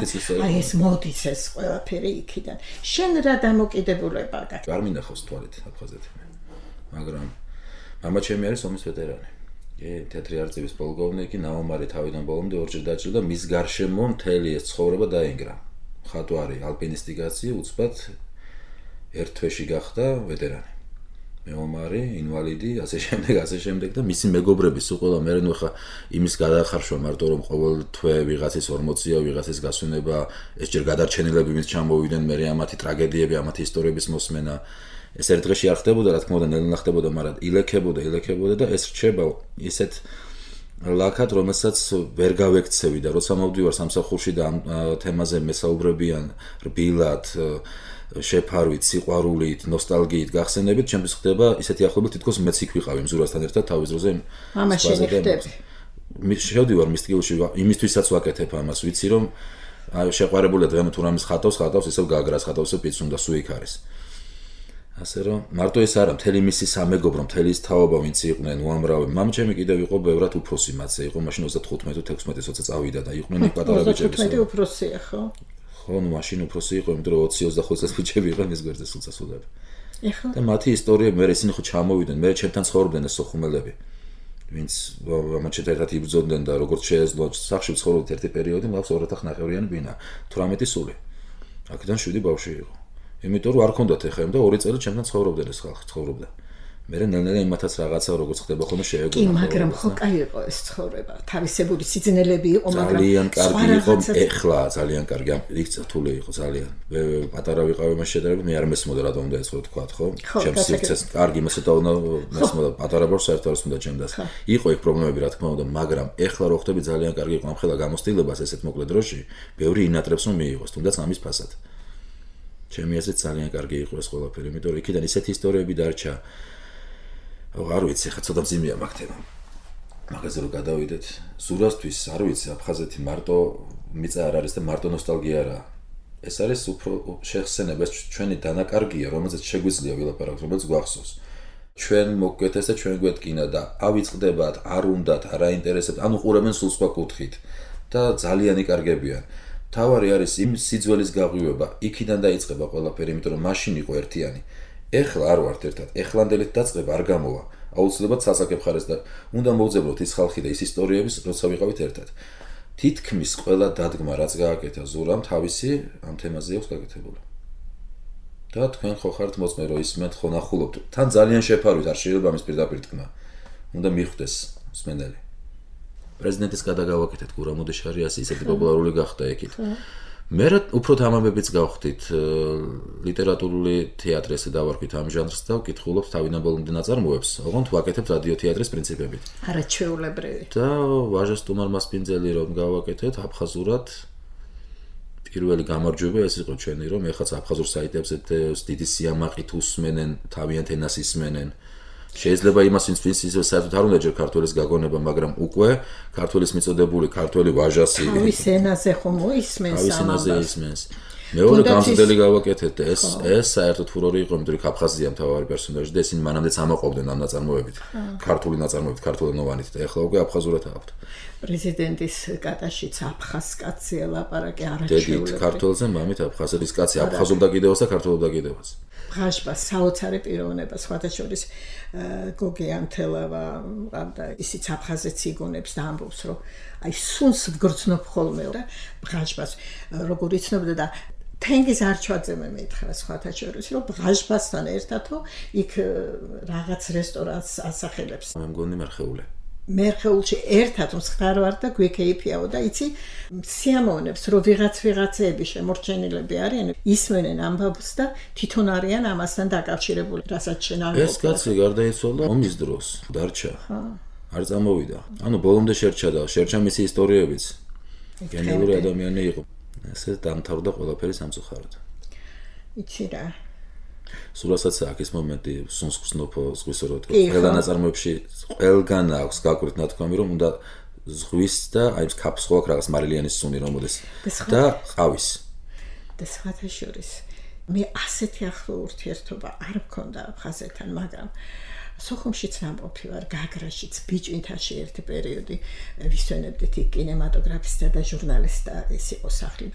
Speaker 2: აი ეს მოდის ეს ყველაფერი იქიდან შენ რა დამოკიდებულება გაქვს
Speaker 3: არ მინახავს თვალით აფხაზეთი მაგრამ მამა ჩემი არის ომის ვეტერანი კი თეთრი არწივის პოლკოვნიკი ნაომარი თავიდან ბოლომდე ორჯერ დაჭრა და მის გარშემო მთელი ეს ცხოვრება დაინგრა ხატვარი ალპინისტი კაცი უცბად ერთ თვეში გახდა ვეტერანი მეომარი ინვალიდი ასე შემდეგ ასე შემდეგ და მისი მეგობრები სულ ყველა მე ნუ ხა იმის გადახარშვა მარტო რომ ყოველ თვე ვიღაცის ორმოცია ვიღაცის გასვენება ეს ჯერ გადარჩენილები მის ჩამოვიდნენ მე ამათი ტრაგედიები ამათი ისტორიების მოსმენა ეს ერთ დღეში არ ხდებოდა რა თქმა უნდა ნელ-ნელა ხდებოდა მაგრამ ილექებოდა ილექებოდა და ეს რჩება ისეთ ლაკად რომელსაც ვერ გავექცევი და როცა მოვდივარ სამსახურში და ამ თემაზე მესაუბრებიან რბილად შეფარვით სიყვარულით ნოსტალგიით გახსენებით ჩემთვის ხდება ისეთი ახლობა თითქოს მეც იქ ვიყავი მზურასთან ერთად თავის დროზე
Speaker 2: მამაში ხდები
Speaker 3: მის შევდივარ მის ტკივილში იმისთვისაც ვაკეთებ ამას ვიცი რომ შეყვარებულია დღემ თუ რამის ხატავს ხატავს ისევ გაგრას ხატავს ისევ პიცუნ და სუ იქ არის ასე რომ მარტო ეს არა მთელი მისი სამეგობრო მთელი ის თაობა ვინც იყვნენ უამრავი მამჩემი კიდევ იყო ბევრად უფროსი მათზე იყო მაშინ ოცდათხუთმეტი თექვსმეტი როცა წავიდა და იყვნენ იქ პატარა ბიჭები
Speaker 2: ოცდათხუთმეტი უფროსია ხო
Speaker 3: ხო ნუ მაშინ უფროსი იყო იმიტომ რომ ოცი ოცდახუთ წლის ბიჭები იყვნენ ეს გვერდზე სულ წასულები
Speaker 2: ეხლა
Speaker 3: და მათი ისტორიები მე ისინი ხო ჩამოვიდნენ მე ჩემთან ცხოვრობდნენ ეს სოხუმელები ვინც მამაჩეთ ერთად იბრძოდნენ და როგორც შეეძლო სახში ცხოვრობდით ერთი პერიოდი მგავს ორ ათას ნახევრიანი ბინა თვრამეტი სული აქედან შვიდი ბავშვი იყო იმიტომ რომ არ ქონდათ ეხა და ორი წელი ჩემთან ცხოვრობდნენ ეს ხალხი ცხოვრობდა მე ნელ-ნელა იმათაც რაღაცა როგორც ხდება ხოლმე შეეგუნა
Speaker 2: კი მაგრამ ხო კაი იყო ეს ცხოვრება თავისებური სიძნელები იყო მაგრამ
Speaker 3: ძალიან კარგი იყო ეხლა ძალიან კარგი იქ რთული იყო ძალიან მე პატარა ვიყავი მას შედარებით მე არ მესმოდა რატომ უნდა ეცხოვ თქვა ხო ჩემს სივრცეს კარგი მასეთა უნდა მესმოდა პატარა ბორს საერთოდ არ სუნდა ჩემდას იყო იქ პრობლემები რა თქმა უნდა მაგრამ ეხლა რო ხდები ძალიან კარგი იყო ამ ხელა გამოცდილებას ესეთ მოკლე დროში ბევრი ინატრებს რომ მიიღოს თუნდაც ამის ფასად ჩემი აზრით ძალიან კარგი იყო ეს ყველაფერი, იმიტომ რომ იქიდან ისეთი ისტორიები დარჩა. არ ვიცი, ხა ცოტა მძიმეა მაგ თემა. მაგაზე რომ გადავიდეთ, ზურასთვის არ ვიცი, აფხაზეთი მარტო მიწა არ არის და მარტო ნოსტალგია არაა. ეს არის უფრო შეხსენება, ჩვენი დანაკარგია, რომელზეც შეგვიძლია ვილაპარაკოთ, რომელიც გვახსოვს. ჩვენ მოგკეთეს და ჩვენ გვეთკინა და ავიწყდებათ, არ უნდათ, არ აინტერესებთ, ანუ ყურებენ სულ სხვა კუთხით და ძალიან იკარგებიან. თავარი არის იმ სიძველის გაღვივება, იქიდან დაიწყება ყველაფერი, იმიტომ რომ მაშინ იყო ერთიანი. ეხლა არ ვართ ერთად, ეხლანდელით დაწყება არ გამოვა. აუცილებლად სასაკებ ხარეს და უნდა მოვძებნოთ ის ხალხი და ის ისტორიების, როცა ვიყავით ერთად. თითქმის ყველა დადგმა, რაც გააკეთა ზურამ, თავისი ამ თემაზე აქვს გაკეთებული. და თქვენ ხო ხართ მოწმე, რომ ისმენთ ხო ნახულობთ. თან ძალიან შეფარვით, არ შეიძლება ამის პირდაპირ თქმა. უნდა მიხვდეს მსმენელი. პრეზიდენტის გადაგავაკეთეთ გურამ უდეშარიას ისეთი პოპულარული გახდა ეკით. მე უფრო თამამებიც გავხდით ლიტერატურული თეატრი ესე დავარქვით ამ ჟანრს და ვკითხულობთ თავიდან ბოლომდე ნაწარმოებს, ოღონდ ვაკეთებთ რადიო თეატრის პრინციპებით.
Speaker 2: არაჩვეულებრივი.
Speaker 3: და ვაჟა სტუმარ მასპინძელი რომ გავაკეთეთ აფხაზურად პირველი გამარჯვება ეს იყო ჩვენი რომ ეხაც აფხაზურ საიტებზე დიდი სიამაყით უსმენენ, თავიანთ ენას ისმენენ. შეიძლება იმას ვინც ვინც ისე საერთოდ არ უნდა ჯერ ქართველის გაგონება, მაგრამ უკვე ქართველის მიწოდებული ქართველი ვაჟასი
Speaker 2: თავის ენაზე ხომ მოისმენს
Speaker 3: ამას. თავის ენაზე ისმენს. მეორე გამზრდელი გავაკეთეთ და ეს ეს საერთოდ ფურორი იყო, იმიტომ რომ აფხაზია მთავარი პერსონაჟი და ესენი მანამდეც ამაყობდნენ ამ ნაწარმოებით. ქართული ნაწარმოებით, ქართულენოვანით და ეხლა უკვე აფხაზურად აქვთ.
Speaker 2: პრეზიდენტის კატაშიც აფხაზ კაცია ლაპარაკი არაჩვეულებრივი.
Speaker 3: დედით ქართველზე, მამით აფხაზეთის კაცი აფხაზობდა კიდევაც და ქართულობდა კიდევაც.
Speaker 2: ბრაშბა საოცარი პიროვნება სხვათა შორის გოგი ანთელავა და ისიც აფხაზეთს იგონებს და ამბობს რომ აი სუნს ვგრძნობ ხოლმე და ბრაშბას როგორ იცნობდა და თენგიზ არჩვაძე მე მითხრა სხვათა შორის რომ ბრაშბასთან ერთადო იქ რაღაც რესტორანს ასახელებს
Speaker 3: მე მგონი მერხეული
Speaker 2: მერხეულში ერთად მსხარ ვარ და გვეკეიფიაო და იცი სიამოვნებს რომ ვიღაც ვიღაცეები შემორჩენილები არიან ისმენენ ამბავს და თვითონ არიან ამასთან დაკავშირებული რასაც შენ არ
Speaker 3: ეს კაცი გარდაიცვალა ომის დროს დარჩა არ წამოვიდა ანუ ბოლომდე შერჩა და შერჩა მისი ისტორიებიც გენიალური ადამიანი იყო ესე დამთავრდა ყველაფერი სამწუხაროდ
Speaker 2: იცი რა
Speaker 3: სულასაც აქვს მომენტი სუნსკსნოფო ზღვისროდ. ყველა ნაწარმოებში ყველგან აქვს გაკვრით ნათქვამი, რომ უნდა ზღვის და აი ეს კაფსხო აქვს რაღაც მარილიანის სუნი რომ მოდეს და ყავის.
Speaker 2: და სხვათა შორის მე ასეთი ახლო ურთიერთობა არ მქონდა აფხაზეთთან, მაგრამ სოხუმშიც ვამყოფი ვარ, გაგრაშიც, ბიჭვინთაში ერთი პერიოდი ვისვენებდით იქ კინემატოგრაფისტა და ჟურნალისტა ეს იყო სახლი.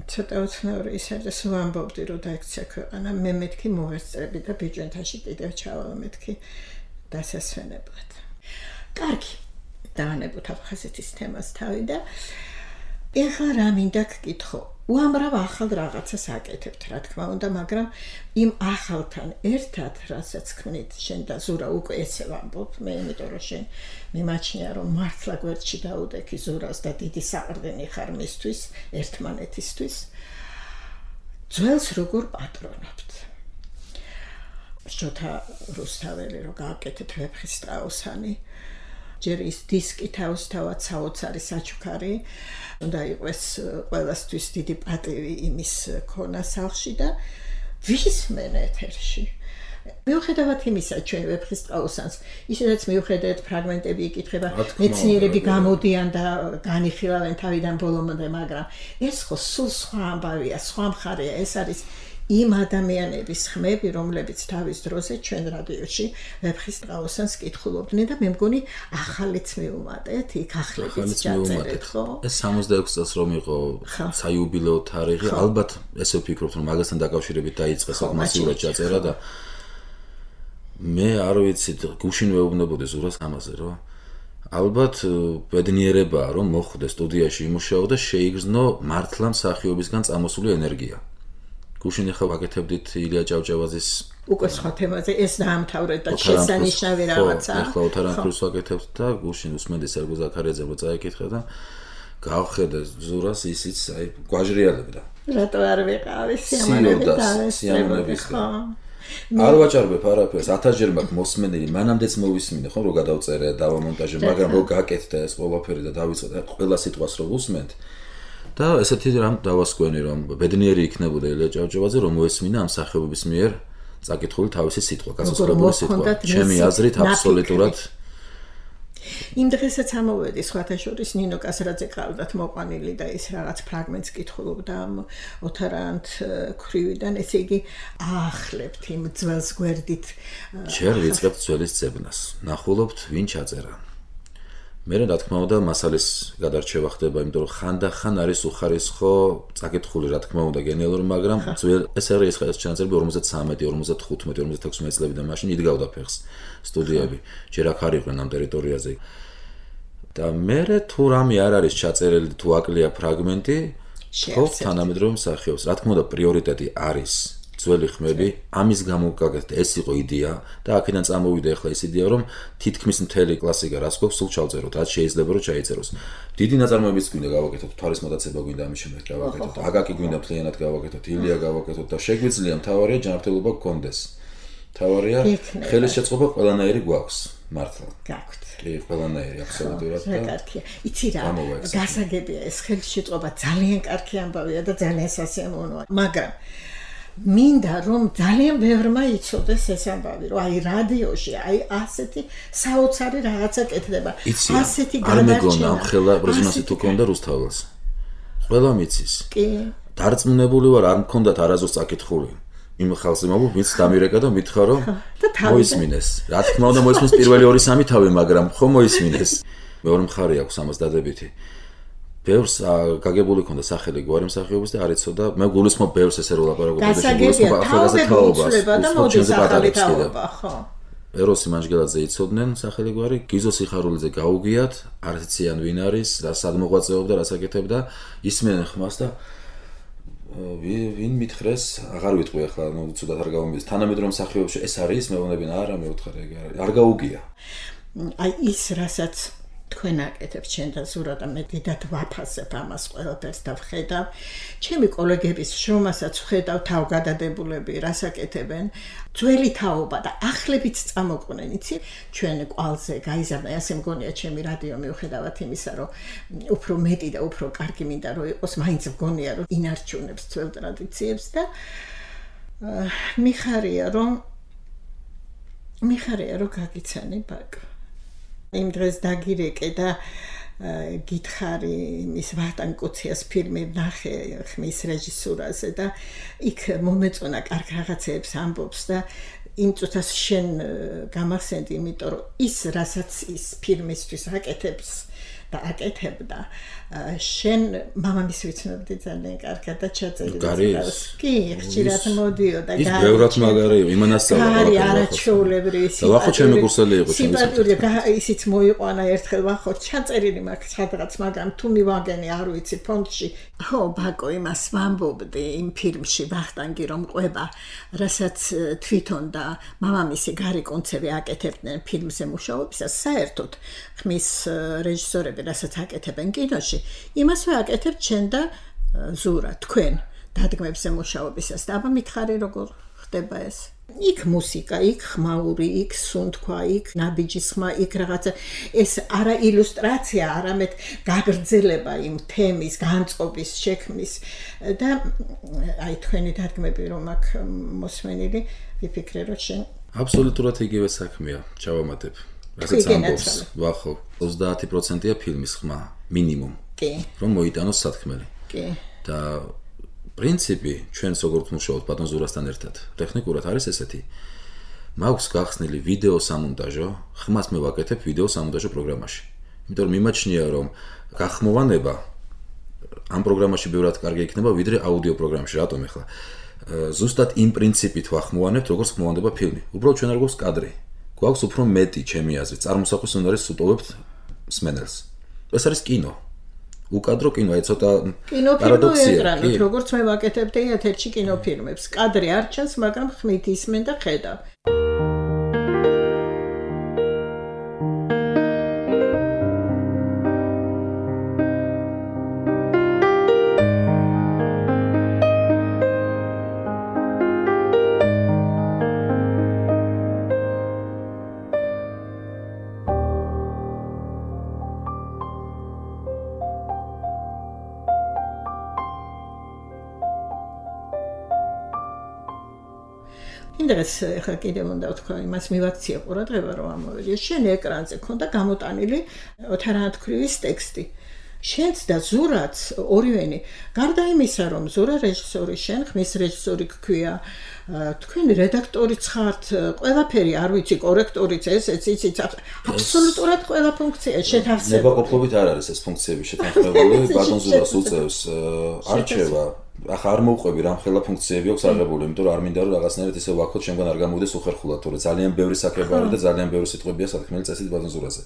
Speaker 2: ცოტა უცნაური ის არის, რომ ვამბობდი, რომ დაიქცია ქვეყანა, მე მეთქი მოვესწრები და ბიჭვინთაში კიდევ ჩავალ მეთქი დასასვენებლად. კარგი, დავანებოთ აფხაზეთის თემას თავი და ეხლა რა მინდა გკითხო. უამრავ ახალ რაღაცას აკეთებთ, რა თქმა უნდა, მაგრამ იმ ახალთან ერთად, რასაც ქმნით, შენ და ზურა უკვე ესე ვამბობ, მე იმიტომ რომ შენ მიმაჩნია, რომ მართლა გვერდში დაუდექი ზურას და დიდი საყრდენი ხარ მისთვის, ერთმანეთისთვის. ძველს როგორ პატრონობთ? შოთა რუსთაველი რო გააკეთეთ ვეფხის strauss-ანი, ჯერ ის დისკი თავისთავად საოცარი საჩუქარი, უნდა იყოს ყველასთვის დიდი პატივი იმის ქონა სახლში და ვისმენ ეთერში. მიუხედავად იმისა, ჩვენ ვეფხის strauss-ანს, ისედაც მიუხედავად ფრაგმენტები იკითხება, მეცნიერები გამოდიან და განიხილავენ თავიდან ბოლომდე, მაგრამ ეს ხო სულ სხვა ამბავია, სხვა მხარეა, ეს არის იმ ადამიანების ხმები, რომლებიც თავის დროზე ჩვენ რადიოში ვეფხის strauss-ანს კითხულობდნენ და მე მგონი ახალიც მიუმატეთ, იქ ახლებიც ჩაწერეთ, ხო?
Speaker 3: ეს სამოცდაექვსი წელს რომ იყო საიუბილეო თარიღი, ალბათ ესე ვფიქრობთ, რომ მაგასთან დაკავშირებით დაიწყეს მასიურად ჩაწერა და მე არ ვიცი, გუშინ ვეუბნებოდი ზურას ამაზე, რომ ალბათ ბედნიერებაა, რომ მოხვდე სტუდიაში იმუშაო და შეიგრძნო მართლა მსახიობისგან წამოსული ენერგია. გუშინ ახლა ვაკეთებდით ილია ჭავჭავაძის
Speaker 2: უკვე სხვა თემაზე ეს დაამთავრეთ და შესანიშნავი რაღაცა.
Speaker 3: ახლა ოთარანქრუს ვაკეთებთ და გუშინ უსმენდი სერგო ზაქარიაძემ რო წაიკითხა და გავხედე ზურას ისიც აი გვაჟრიალებდა.
Speaker 2: რატო არ ვიყავი სიამოვნებით
Speaker 3: სიამოვნების არ ვაჭარბებ არაფერს, ათასჯერ მაქვს მოსმენილი, მანამდეც მოვისმინე, ხო, რომ გადავწერე, დავამონტაჟე, მაგრამ რო გაკეთდა ეს ყველაფერი და დავიწყე ყველა სიტყვას რო უსმენთ და ესეთი რამ დავასკვენი, რომ ბედნიერი იქნებოდა ილია ჭავჭავაძე, რომ მოესმინა ამ სახეობების მიერ წაკითხული თავისი სიტყვა, გასაცხადებელი სიტყვა. ჩემი აზრით აბსოლუტურად
Speaker 2: იმ დღესაც ამოვედი სხვათა შორის ნინო კასრაძე ყავდათ მოყვანილი და ის რაღაც ფრაგმენტს კითხულობდა ამ ოთარანთ ქრივიდან, ესე იგი აახლებთ იმ ძველს გვერდით.
Speaker 3: ჯერ ვიწყებთ ძველის ძებნას, ნახულობთ ვინ ჩაწერა. მე რა თქმა უნდა მასალის გადარჩევა ხდება, იმიტომ რომ ხანდახან არის უხარისხო წაკითხული, რა თქმა უნდა გენიალური, მაგრამ ძველ ეს არის ეს ჩანაწერები ორმოცდათრამეტი, ორმოცდახუთმეტი, ორმოცდათექვსმეტი წლებიდან მაშინ იდგავდა ფეხს სტუდიები. ჯერ აქ არ იყვნენ ამ ტერიტორიაზე. და მე თუ რამე არ არის ჩაწერილი, თუ აკლია ფრაგმენტი, ხო, თანამედროვე მსახიობს. რა თქმა უნდა პრიორიტეტი არის ძველი ხმები, ამის გამო გაკეთდა, ეს იყო იდეა და აქედან წამოვიდა ახლა ეს იდეა, რომ თითქმის მთელი კლასიკა რას გვაქვს, სულ ჩავწეროთ, რაც შეიძლება რომ ჩაიწეროს. დიდი ნაწარმოებიც გვინდა გავაკეთოთ, თვარის მოტაცება გვინდა ამის შემდეგ გავაკეთოთ, აკაკი გვინდა მთლიანად გავაკეთოთ, ილია გავაკეთოთ და შეგვიძლია, მთავარია ჯანმრთელობა გქონდეს. მთავარია ხელის შეწყობა ყველანაირი გვაქვს, მართლა.
Speaker 2: გაქვთ.
Speaker 3: კი, ყველანაირი აბსოლუტურად და
Speaker 2: კარგია. იცი რა, გასაგებია ეს ხელის შეწყობა ძალიან კარგი ამბავია და ძალიან სასიამოვნოა, მაგრამ მინდა რომ ძალიან ბევრმა იცოდეს ეს ამბავი, რომ აი რადიოში, აი ასეთი საოცარი რაღაცა კეთდება. ასეთი
Speaker 3: გადარჩენა. ამ ხელა რეზონანსი თუ კონდა რუსთაველს. ყველა მიცის.
Speaker 2: კი.
Speaker 3: დარწმუნებული ვარ, არ მქონდათ არაზოს წაკითხული. იმ ხალხს იმავე მიც დამირეკა და მითხრა რომ მოისმინეს. რა თქმა უნდა მოისმინეს პირველი ორი სამი თავი, მაგრამ ხო მოისმინეს. მეორე მხარე აქვს ამას დადებითი. ბევრს გაგებული ქონდა სახელი გვარი მსახიობის და არ იცოდა, მე გულისხმობ ბევრს ესე რო ლაპარაკობ და
Speaker 2: გულისხმობ ახალგაზრდა თაობას. და მოდის ახალი თაობა, ხო.
Speaker 3: ეროსი მანჯგელაძე იცოდნენ სახელი გვარი, გიზო სიხარულიძე გაუგიათ, არ იციან ვინ არის, რა სად მოღვაწეობდა, რას აკეთებდა, ისმენენ ხმას და ვინ მითხრეს, აღარ ვიტყვი ახლა, ნუ ცუდად არ გავამბეს. თანამედროვე მსახიობებში ეს არის, მეუბნებიან, არა, მე ვთხარ ეგ არ გაუგია.
Speaker 2: აი ის რასაც თქვენ აკეთებთ შენ და ზურა და მე დიდად ვაფასებ ამას ყველაფერს და ვხედავ. ჩემი კოლეგების შრომასაც ვხედავ თავგადადებულები, რას აკეთებენ. ძველი თაობა და ახლებიც წამოყვნენ, იცი? ჩვენ ყვალზე გაიზარდა, ასე მგონია ჩემი რადიო მიუხედავად იმისა, რომ უფრო მეტი და უფრო კარგი მინდა რომ იყოს, მაინც მგონია რომ ინარჩუნებს ძველ ტრადიციებს და მიხარია რომ მიხარია რომ გაგიცანი ბაკ იმ დღეს დაგირეკე და გითხარი იმის ვახტანგ კუციას ფილმი ნახე ხმის რეჟისურაზე და იქ მომეწონა კარგ რაღაცებს ამბობს და იმ წუთას შენ გამახსენდი იმიტომ რომ ის რასაც ის ფილმისთვის აკეთებს და აკეთებდა შენ მამამის ვიცნობდი ძალიან კარგად და ჩაწერილი კი ხშირად მოდიოდა
Speaker 3: ის ბევრად მაგარია იმანასწავლა
Speaker 2: გარი არაჩვეულებრივი
Speaker 3: და ვახო ჩემი კურსელი იყო ჩემი
Speaker 2: სიმპათიური ისიც მოიყვანა ერთხელ ვახო ჩაწერილი მაქვს სადღაც მაგრამ თუ მივაგენი არ ვიცი ფონდში ხო ბაკო იმას ვამბობდი იმ ფილმში ვახტანგი რომ ყვება რასაც თვითონ და მამამისი გარი კონცევი აკეთებდნენ ფილმზე მუშაობისას საერთოდ ხმის რეჟისორები რასაც აკეთებენ კინოში იმას ვაკეთებ ჩვენ და ზურა თქვენ დადგმებზე მუშაობისას და აბა მითხარი როგორ ხდება ეს იქ მუსიკა იქ ხმაური იქ სუნთქვა იქ ნაბიჯის ხმა იქ რაღაცა ეს არა ილუსტრაცია არამედ გაგრძელება იმ თემის განწყობის შექმნის და აი თქვენი დადგმები რომ აქ მოსმენილი ვიფიქრე რომ შენ
Speaker 3: აბსოლუტურად იგივე საქმეა ჩავამატებ რასაც ამბობს ვახო ოცდაათი პროცენტია ფილმის ხმა მინიმუმ რომ მოიტანოს სათქმელი და პრინციპი ჩვენს როგორც მუშაობთ ბატონ ზურასთან ერთად ტექნიკურად არის ესეთი მაქვს გახსნილი ვიდეო სამონტაჟო ხმას მე ვაკეთებ ვიდეო სამონტაჟო პროგრამაში იმიტომ რომ მიმაჩნია რომ გახმოვანება ამ პროგრამაში ბევრად კარგი იქნება ვიდრე აუდიო პროგრამაში რატომ ახლა ზუსტად იმ პრინციპით ვახმოვანებთ როგორც ხმოვანდება ფილმი უბრალოდ ჩვენ არ გვაქვს კადრი გვაქვს უფრო მეტი ჩემი აზრით წარმოსახვის უნარს უტოვებთ მსმენელს ეს არის კინო უკადრო კინო აი ცოტა
Speaker 2: პარადოქსია როგორც მე ვაკეთებდი ეთერში კინოფილმებს კადრი არ ჩანს მაგრამ ხმით ისმენ და ხედავ ინდრეს ხა კიდევ უნდა ვთქვა იმას მივაქცია ყურადღება რომ ამოვიდეს შენ ეკრანზე ქონდა გამოტანილი ოთარანთქვრივის ტექსტი შენც და ზურაც ორივენი გარდა იმისა რომ ზურა რეჟისორი შენ ხმის რეჟისორი გქვია თქვენი რედაქტორიც ხართ ყველაფერი არ ვიცი კორექტორიც ესეც იცით აბსოლუტურად ყველა ფუნქცია შეთავსებული
Speaker 3: ნებაყოფლობით არ არის ეს ფუნქციები შეთანხმებული ბატონ ზურას უწევს არჩევა ახლა არ მოვყვები რამ ხელა ფუნქციები აქვს აღებული, იმიტომ რომ არ მინდა რომ რაღაცნაირად ისე ვაქოთ შემდგომ არ გამოვიდეს უხერხულად, თორე ძალიან ბევრი საკრება არის და ძალიან ბევრი სიტყვებია სათქმელი წესით ბატონ ზურაზე.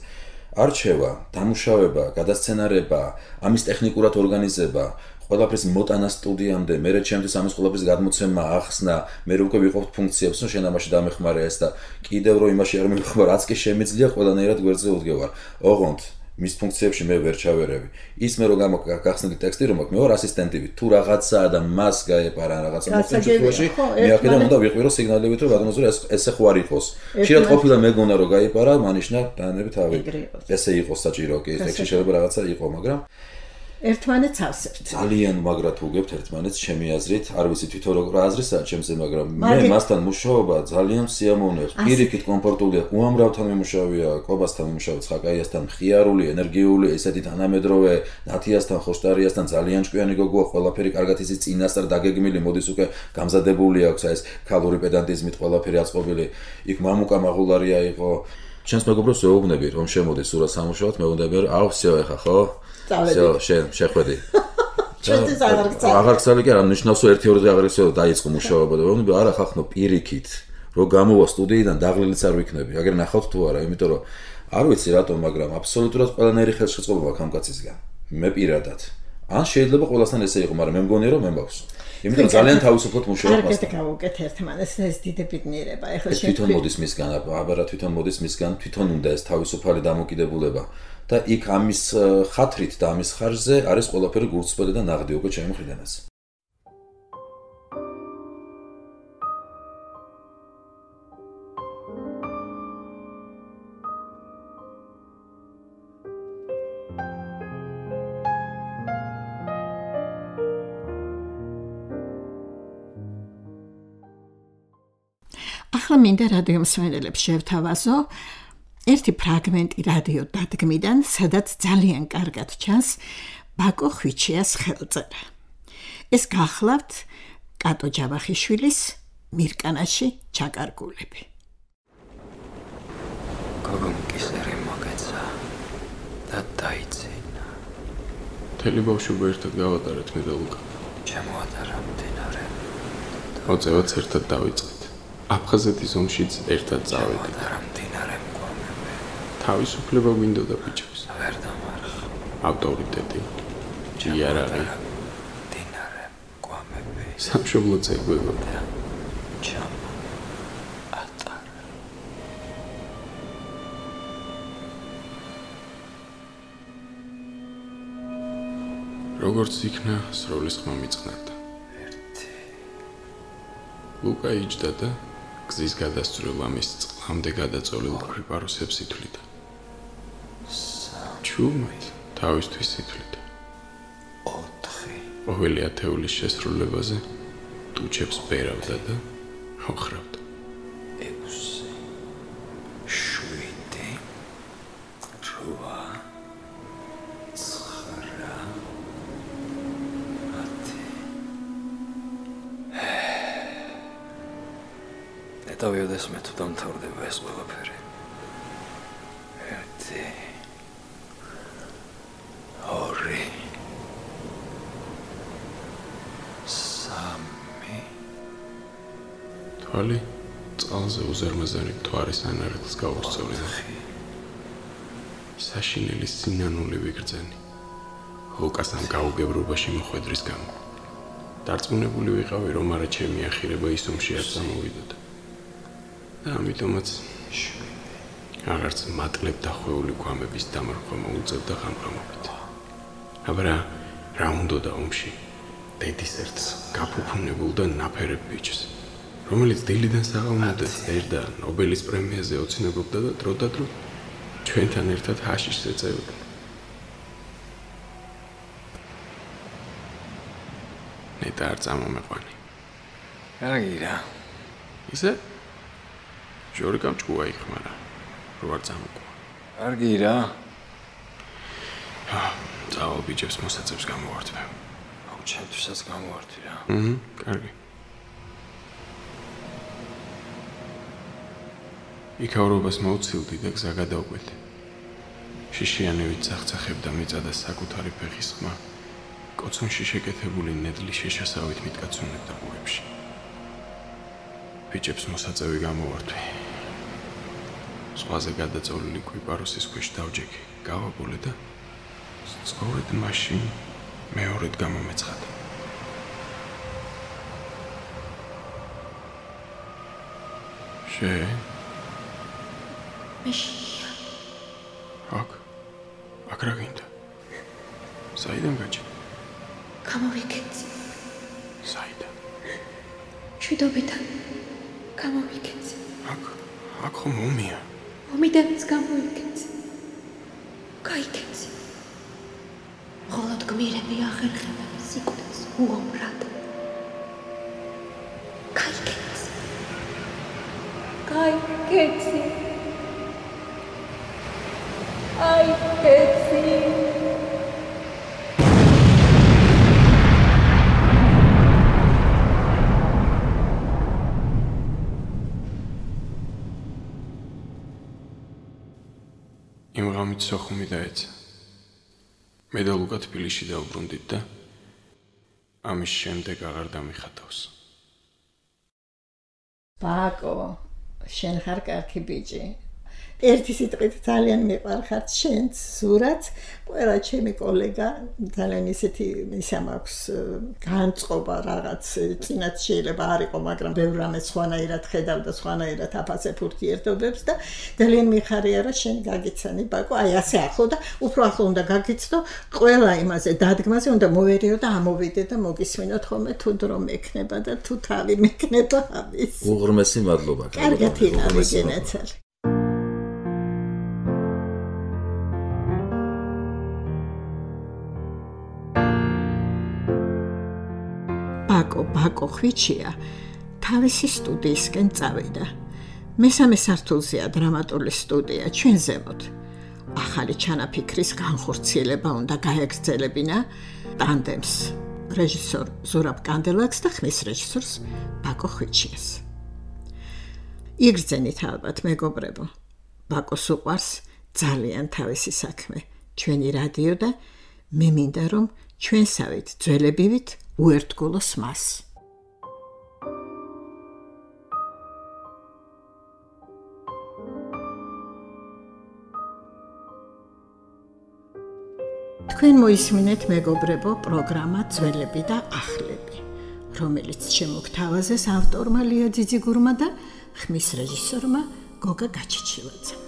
Speaker 3: არჩევა, დამუშავება, გადასცენარება, ამის ტექნიკურად ორგანიზება, ყველაფრის მოტანა სტუდიამდე, მერე ჩემთვის ამის ყველაფრის გადმოცემა, ახსნა, მერე უკვე ვიყოფთ ფუნქციებს, რომ შენ ამაში დამეხმარე ეს და კიდევ რომ იმაში არ მეხმარ, რაც კი შემიძლია, ყველანაირად გვერდზე უდგევარ. ოღონდ მის ფუნქციებში მე ვერ ჩავერევი. ის მე რომ გახსნილი ტექსტი რომ აქვს, მე ვარ ასისტენტივით. თუ რაღაცაა და მას გაეპარა რაღაცა მოხდენში, მე აქედან უნდა ვიყვირო სიგნალებით, რომ ბატონო ზურა ესე ხო არ იყოს. ხშირად ყოფილა მეგონა რომ გაეპარა, მანიშნა დაანებით ავი. ესე იყოს საჭირო, კი, ტექსტში შეიძლება რაღაცა იყო, მაგრამ
Speaker 2: ერთმანეთს ავსებთ.
Speaker 3: ძალიან მაგრად უგებთ ერთმანეთს, ჩემი აზრით, არ ვიცი თვითონ როგორ აზრისაა ჩემზე, მაგრამ მე მასთან მუშაობა ძალიან სიამოვნებს. პირიქით კომფორტულია, უამრავთან მიმუშავია, კობასთან მიმუშავე, ხაკაიასთან, მხიარული, ენერგიული, ესეთი თანამედროვე, ნათიასთან, ხოშტარიასთან ძალიან ჭკვიანი გოგოა, ყველაფერი კარგად იცის, წინასწარ დაგეგმილი, მოდის უკვე გამზადებული აქვს ეს ქალური პედანტიზმით ყველაფერი აწყობილი. იქ მამუკა მაღულარია იყო. ჩემს მეგობრებს ვეუბნები, რომ შემოდის სურა სამუშაოდ, მე უნდა ვერ აუ, всё ეხა, ხო? всё, შენ შეხვედი.
Speaker 2: ჩვენთვის აღარ გწავ.
Speaker 3: აღარ გწავი კი არა, ნიშნავს რომ ერთი ორი დღე აღარ ისე დაიწყო მუშაობა და ვეუბნები, არა ხახნო პირიქით, რომ გამოვა სტუდიიდან დაღლილიც არ ვიქნები. აგერ ნახავთ თუ არა, იმიტომ რომ არ ვიცი რატომ, მაგრამ აბსოლუტურად ყველანაირი ხელშეწყობა მაქვს ამ კაცისგან. მე პირადად. ან შეიძლება ყველასთან ესე იყო, მაგრამ მე მგონია რომ მე მაქვს. იმიტომ ძალიან თავისუფლად მუშაობ მასთან.
Speaker 2: კარგად გავუკეთ ერთმანეთს ეს დიდი ბედნიერება. ეხლა
Speaker 3: შენ თვითონ მოდის მისგან, აბარა თვითონ მოდის მისგან, თვითონ უნდა ეს თავისუფალი დამოკიდებულება. და იქ ამის ხათრით და ამის ხარჯზე არის ყველაფერი გულწრფელი და ნაღდი უკვე ჩემი მხრიდანაც.
Speaker 2: ახლა მინდა რადიო მსმენელებს შევთავაზო ერთი ფრაგმენტი რადიო დადგმიდან, სადაც ძალიან კარგად ჩანს ბაკო ხვიჩიას ხელწერა. ეს გახლავთ კატო ჯავახიშვილის მირკანაში ჩაკარგულები.
Speaker 4: გოგომ კისერი მოგეცა და დაიძინა.
Speaker 5: მთელი ბავშვობა ერთად გავატარეთ მე და ლუკა.
Speaker 4: ჩემოატარა მდინარე.
Speaker 5: მოწევაც ერთად დავიწყეთ. აფხაზეთის ომშიც ერთად წავედით.
Speaker 4: ჩემოატარა მდინარე მკვამები.
Speaker 5: თავისუფლება გვინდოდა ბიჭებს.
Speaker 4: ვერ დამარხ.
Speaker 5: ავტორიტეტი. იარაღი.
Speaker 4: მდინარე მკვამები.
Speaker 5: სამშობლო წეგბება.
Speaker 4: ჩამო ატარა.
Speaker 5: როგორც იქნა, სროლის ხმა მიწყნარდა.
Speaker 4: ერთი.
Speaker 5: ლუკა იჯდა და გზის გადასწრულ ამის წყლამდე გადაწოლილ კვიპაროსებს ითვლიდა. ჩუმად თავისთვის ითვლიდა.
Speaker 4: ოთხი.
Speaker 5: ყოველი ათეულის შესრულებაზე ტუჩებს ბერავდა და ოხრავდა.
Speaker 4: ექვსი. შვიდი. რვა. ცხრა. ათი. ეტავიოდეს მე თუ დამთავრდება ეს ყველაფერი. ერთი. ორი. სამი.
Speaker 5: თვალი წყალზე უზარმაზარი მთვარის ანარეთს გაუსწორდა. საშინელი სინანული ვიგრძენი. ლუკას ამ გაუგებრობაში მოხვედრის გამო. დარწმუნებული ვიყავი, რომ არა ჩემი ახირება ის ომში არ წამოვიდოდა. და ამიტომაც აღარც მატლებ დახვეული გვამების დამარხვა მოუწევდა ღამღამობით. აბა რა უნდოდა ომში? დედის ერთ გაფუფუნებულ და ნაფერებ ბიჭს, რომელიც დილიდან საღამომდე წერდა, ნობელის პრემიაზე ოცნებობდა და დროდადრო ჩვენთან ერთად ჰაშიშს ეწევდა. ნეტა არ წამომეყვანი.
Speaker 4: კარგია.
Speaker 5: ისე? ჟორიკამ ჭკუა იხმარა, რო არ წამოყვა.
Speaker 4: კარგია.
Speaker 5: წავალ ბიჭებს მოსაწევს გამოვართვე.
Speaker 4: აუ, ჩემთვისაც გამოვართვი რა.
Speaker 5: აჰა, კარგი. იქაურობას მოუცილდი და გზა გადავკვეთ. შიშიანივით წახწახებდა მიწა და საკუთარი ფეხის ხმა კოცონში შეკეთებული ნედლი შეშასავით მიტკაცუნებდა ბუებში. ბიჭებს მოსაწევი გამოვართვი. ზღვაზე გადაწოლილი კვიპაროსის ქვეშ დავჯექი, გავაბოლე და სწორედ მაშინ მეორედ გამომეცხადა. შე?
Speaker 6: მეშია.
Speaker 5: აქ? აქ რა გინდა? საიდან გაჩი?
Speaker 6: გამოვიქეცი.
Speaker 5: საიდან?
Speaker 6: შვიდობიდან გამოვიქეცი.
Speaker 5: აქ? აქ ხომ ომია?
Speaker 6: ომიდანაც გამოვიქეცი. გაიქეცი. მხოლოდ გმირები ახერხებენ სიკვდილს უომრად. გაიქეცი. გაიქეცი. გაიქეცი.
Speaker 5: იმ ღამით სოხუმი დაეცა. მე და ლუკა თბილისში დავბრუნდით და ამის შემდეგ აღარ დამიხატავს.
Speaker 2: ბაკო, შენ ხარ კარგი ბიჭი. ერთი სიტყვით ძალიან მიყვარხარ შენც, ზურაც, ყველა ჩემი კოლეგა ძალიან ისეთი ისა მაქვს განწყობა რაღაც, წინათ შეიძლება არ იყო, მაგრამ ბევრ რამეს სხვანაირად ხედავ და სხვანაირად აფასებ ურთიერთობებს და ძალიან მიხარია რა შენ გაგიცანი ბაკო, აი ასე ახლო და უფრო ახლო უნდა გაგიცნო, ყველა იმაზე დადგმაზე უნდა მოვერიო და ამოვიდე და მოგისმინოთ ხოლმე თუ დრო მექნება და თუ თავი მექნება ამის.
Speaker 3: უღრმესი მადლობა.
Speaker 2: კარგად ინავიგენაცალ. ბაკო ბაკო ხვიჩია თავისი სტუდიისკენ წავიდა. მესამე სართულზეა დრამატული სტუდია, ჩვენ ზემოთ. ახალი ჩანაფიქრის განხორციელება უნდა გაეგრძელებინა ტანდემს, რეჟისორ ზურაბ კანდელაკს და ხმის რეჟისორს ბაკო ხვიჩიას. იგრძენით ალბათ მეგობრებო, ბაკოს უყვარს ძალიან თავისი საქმე, ჩვენი რადიო და მე მინდა რომ ჩვენსავით ძველებივით უერთგულოს მას. თქვენ მოისმინეთ მეგობრებო პროგრამა ძველები და ახლები, რომელიც შემოგთავაზეს ავტორმა ლია ძიძიგურმა და ხმის რეჟისორმა გოგა გაჩიჩილაძემ.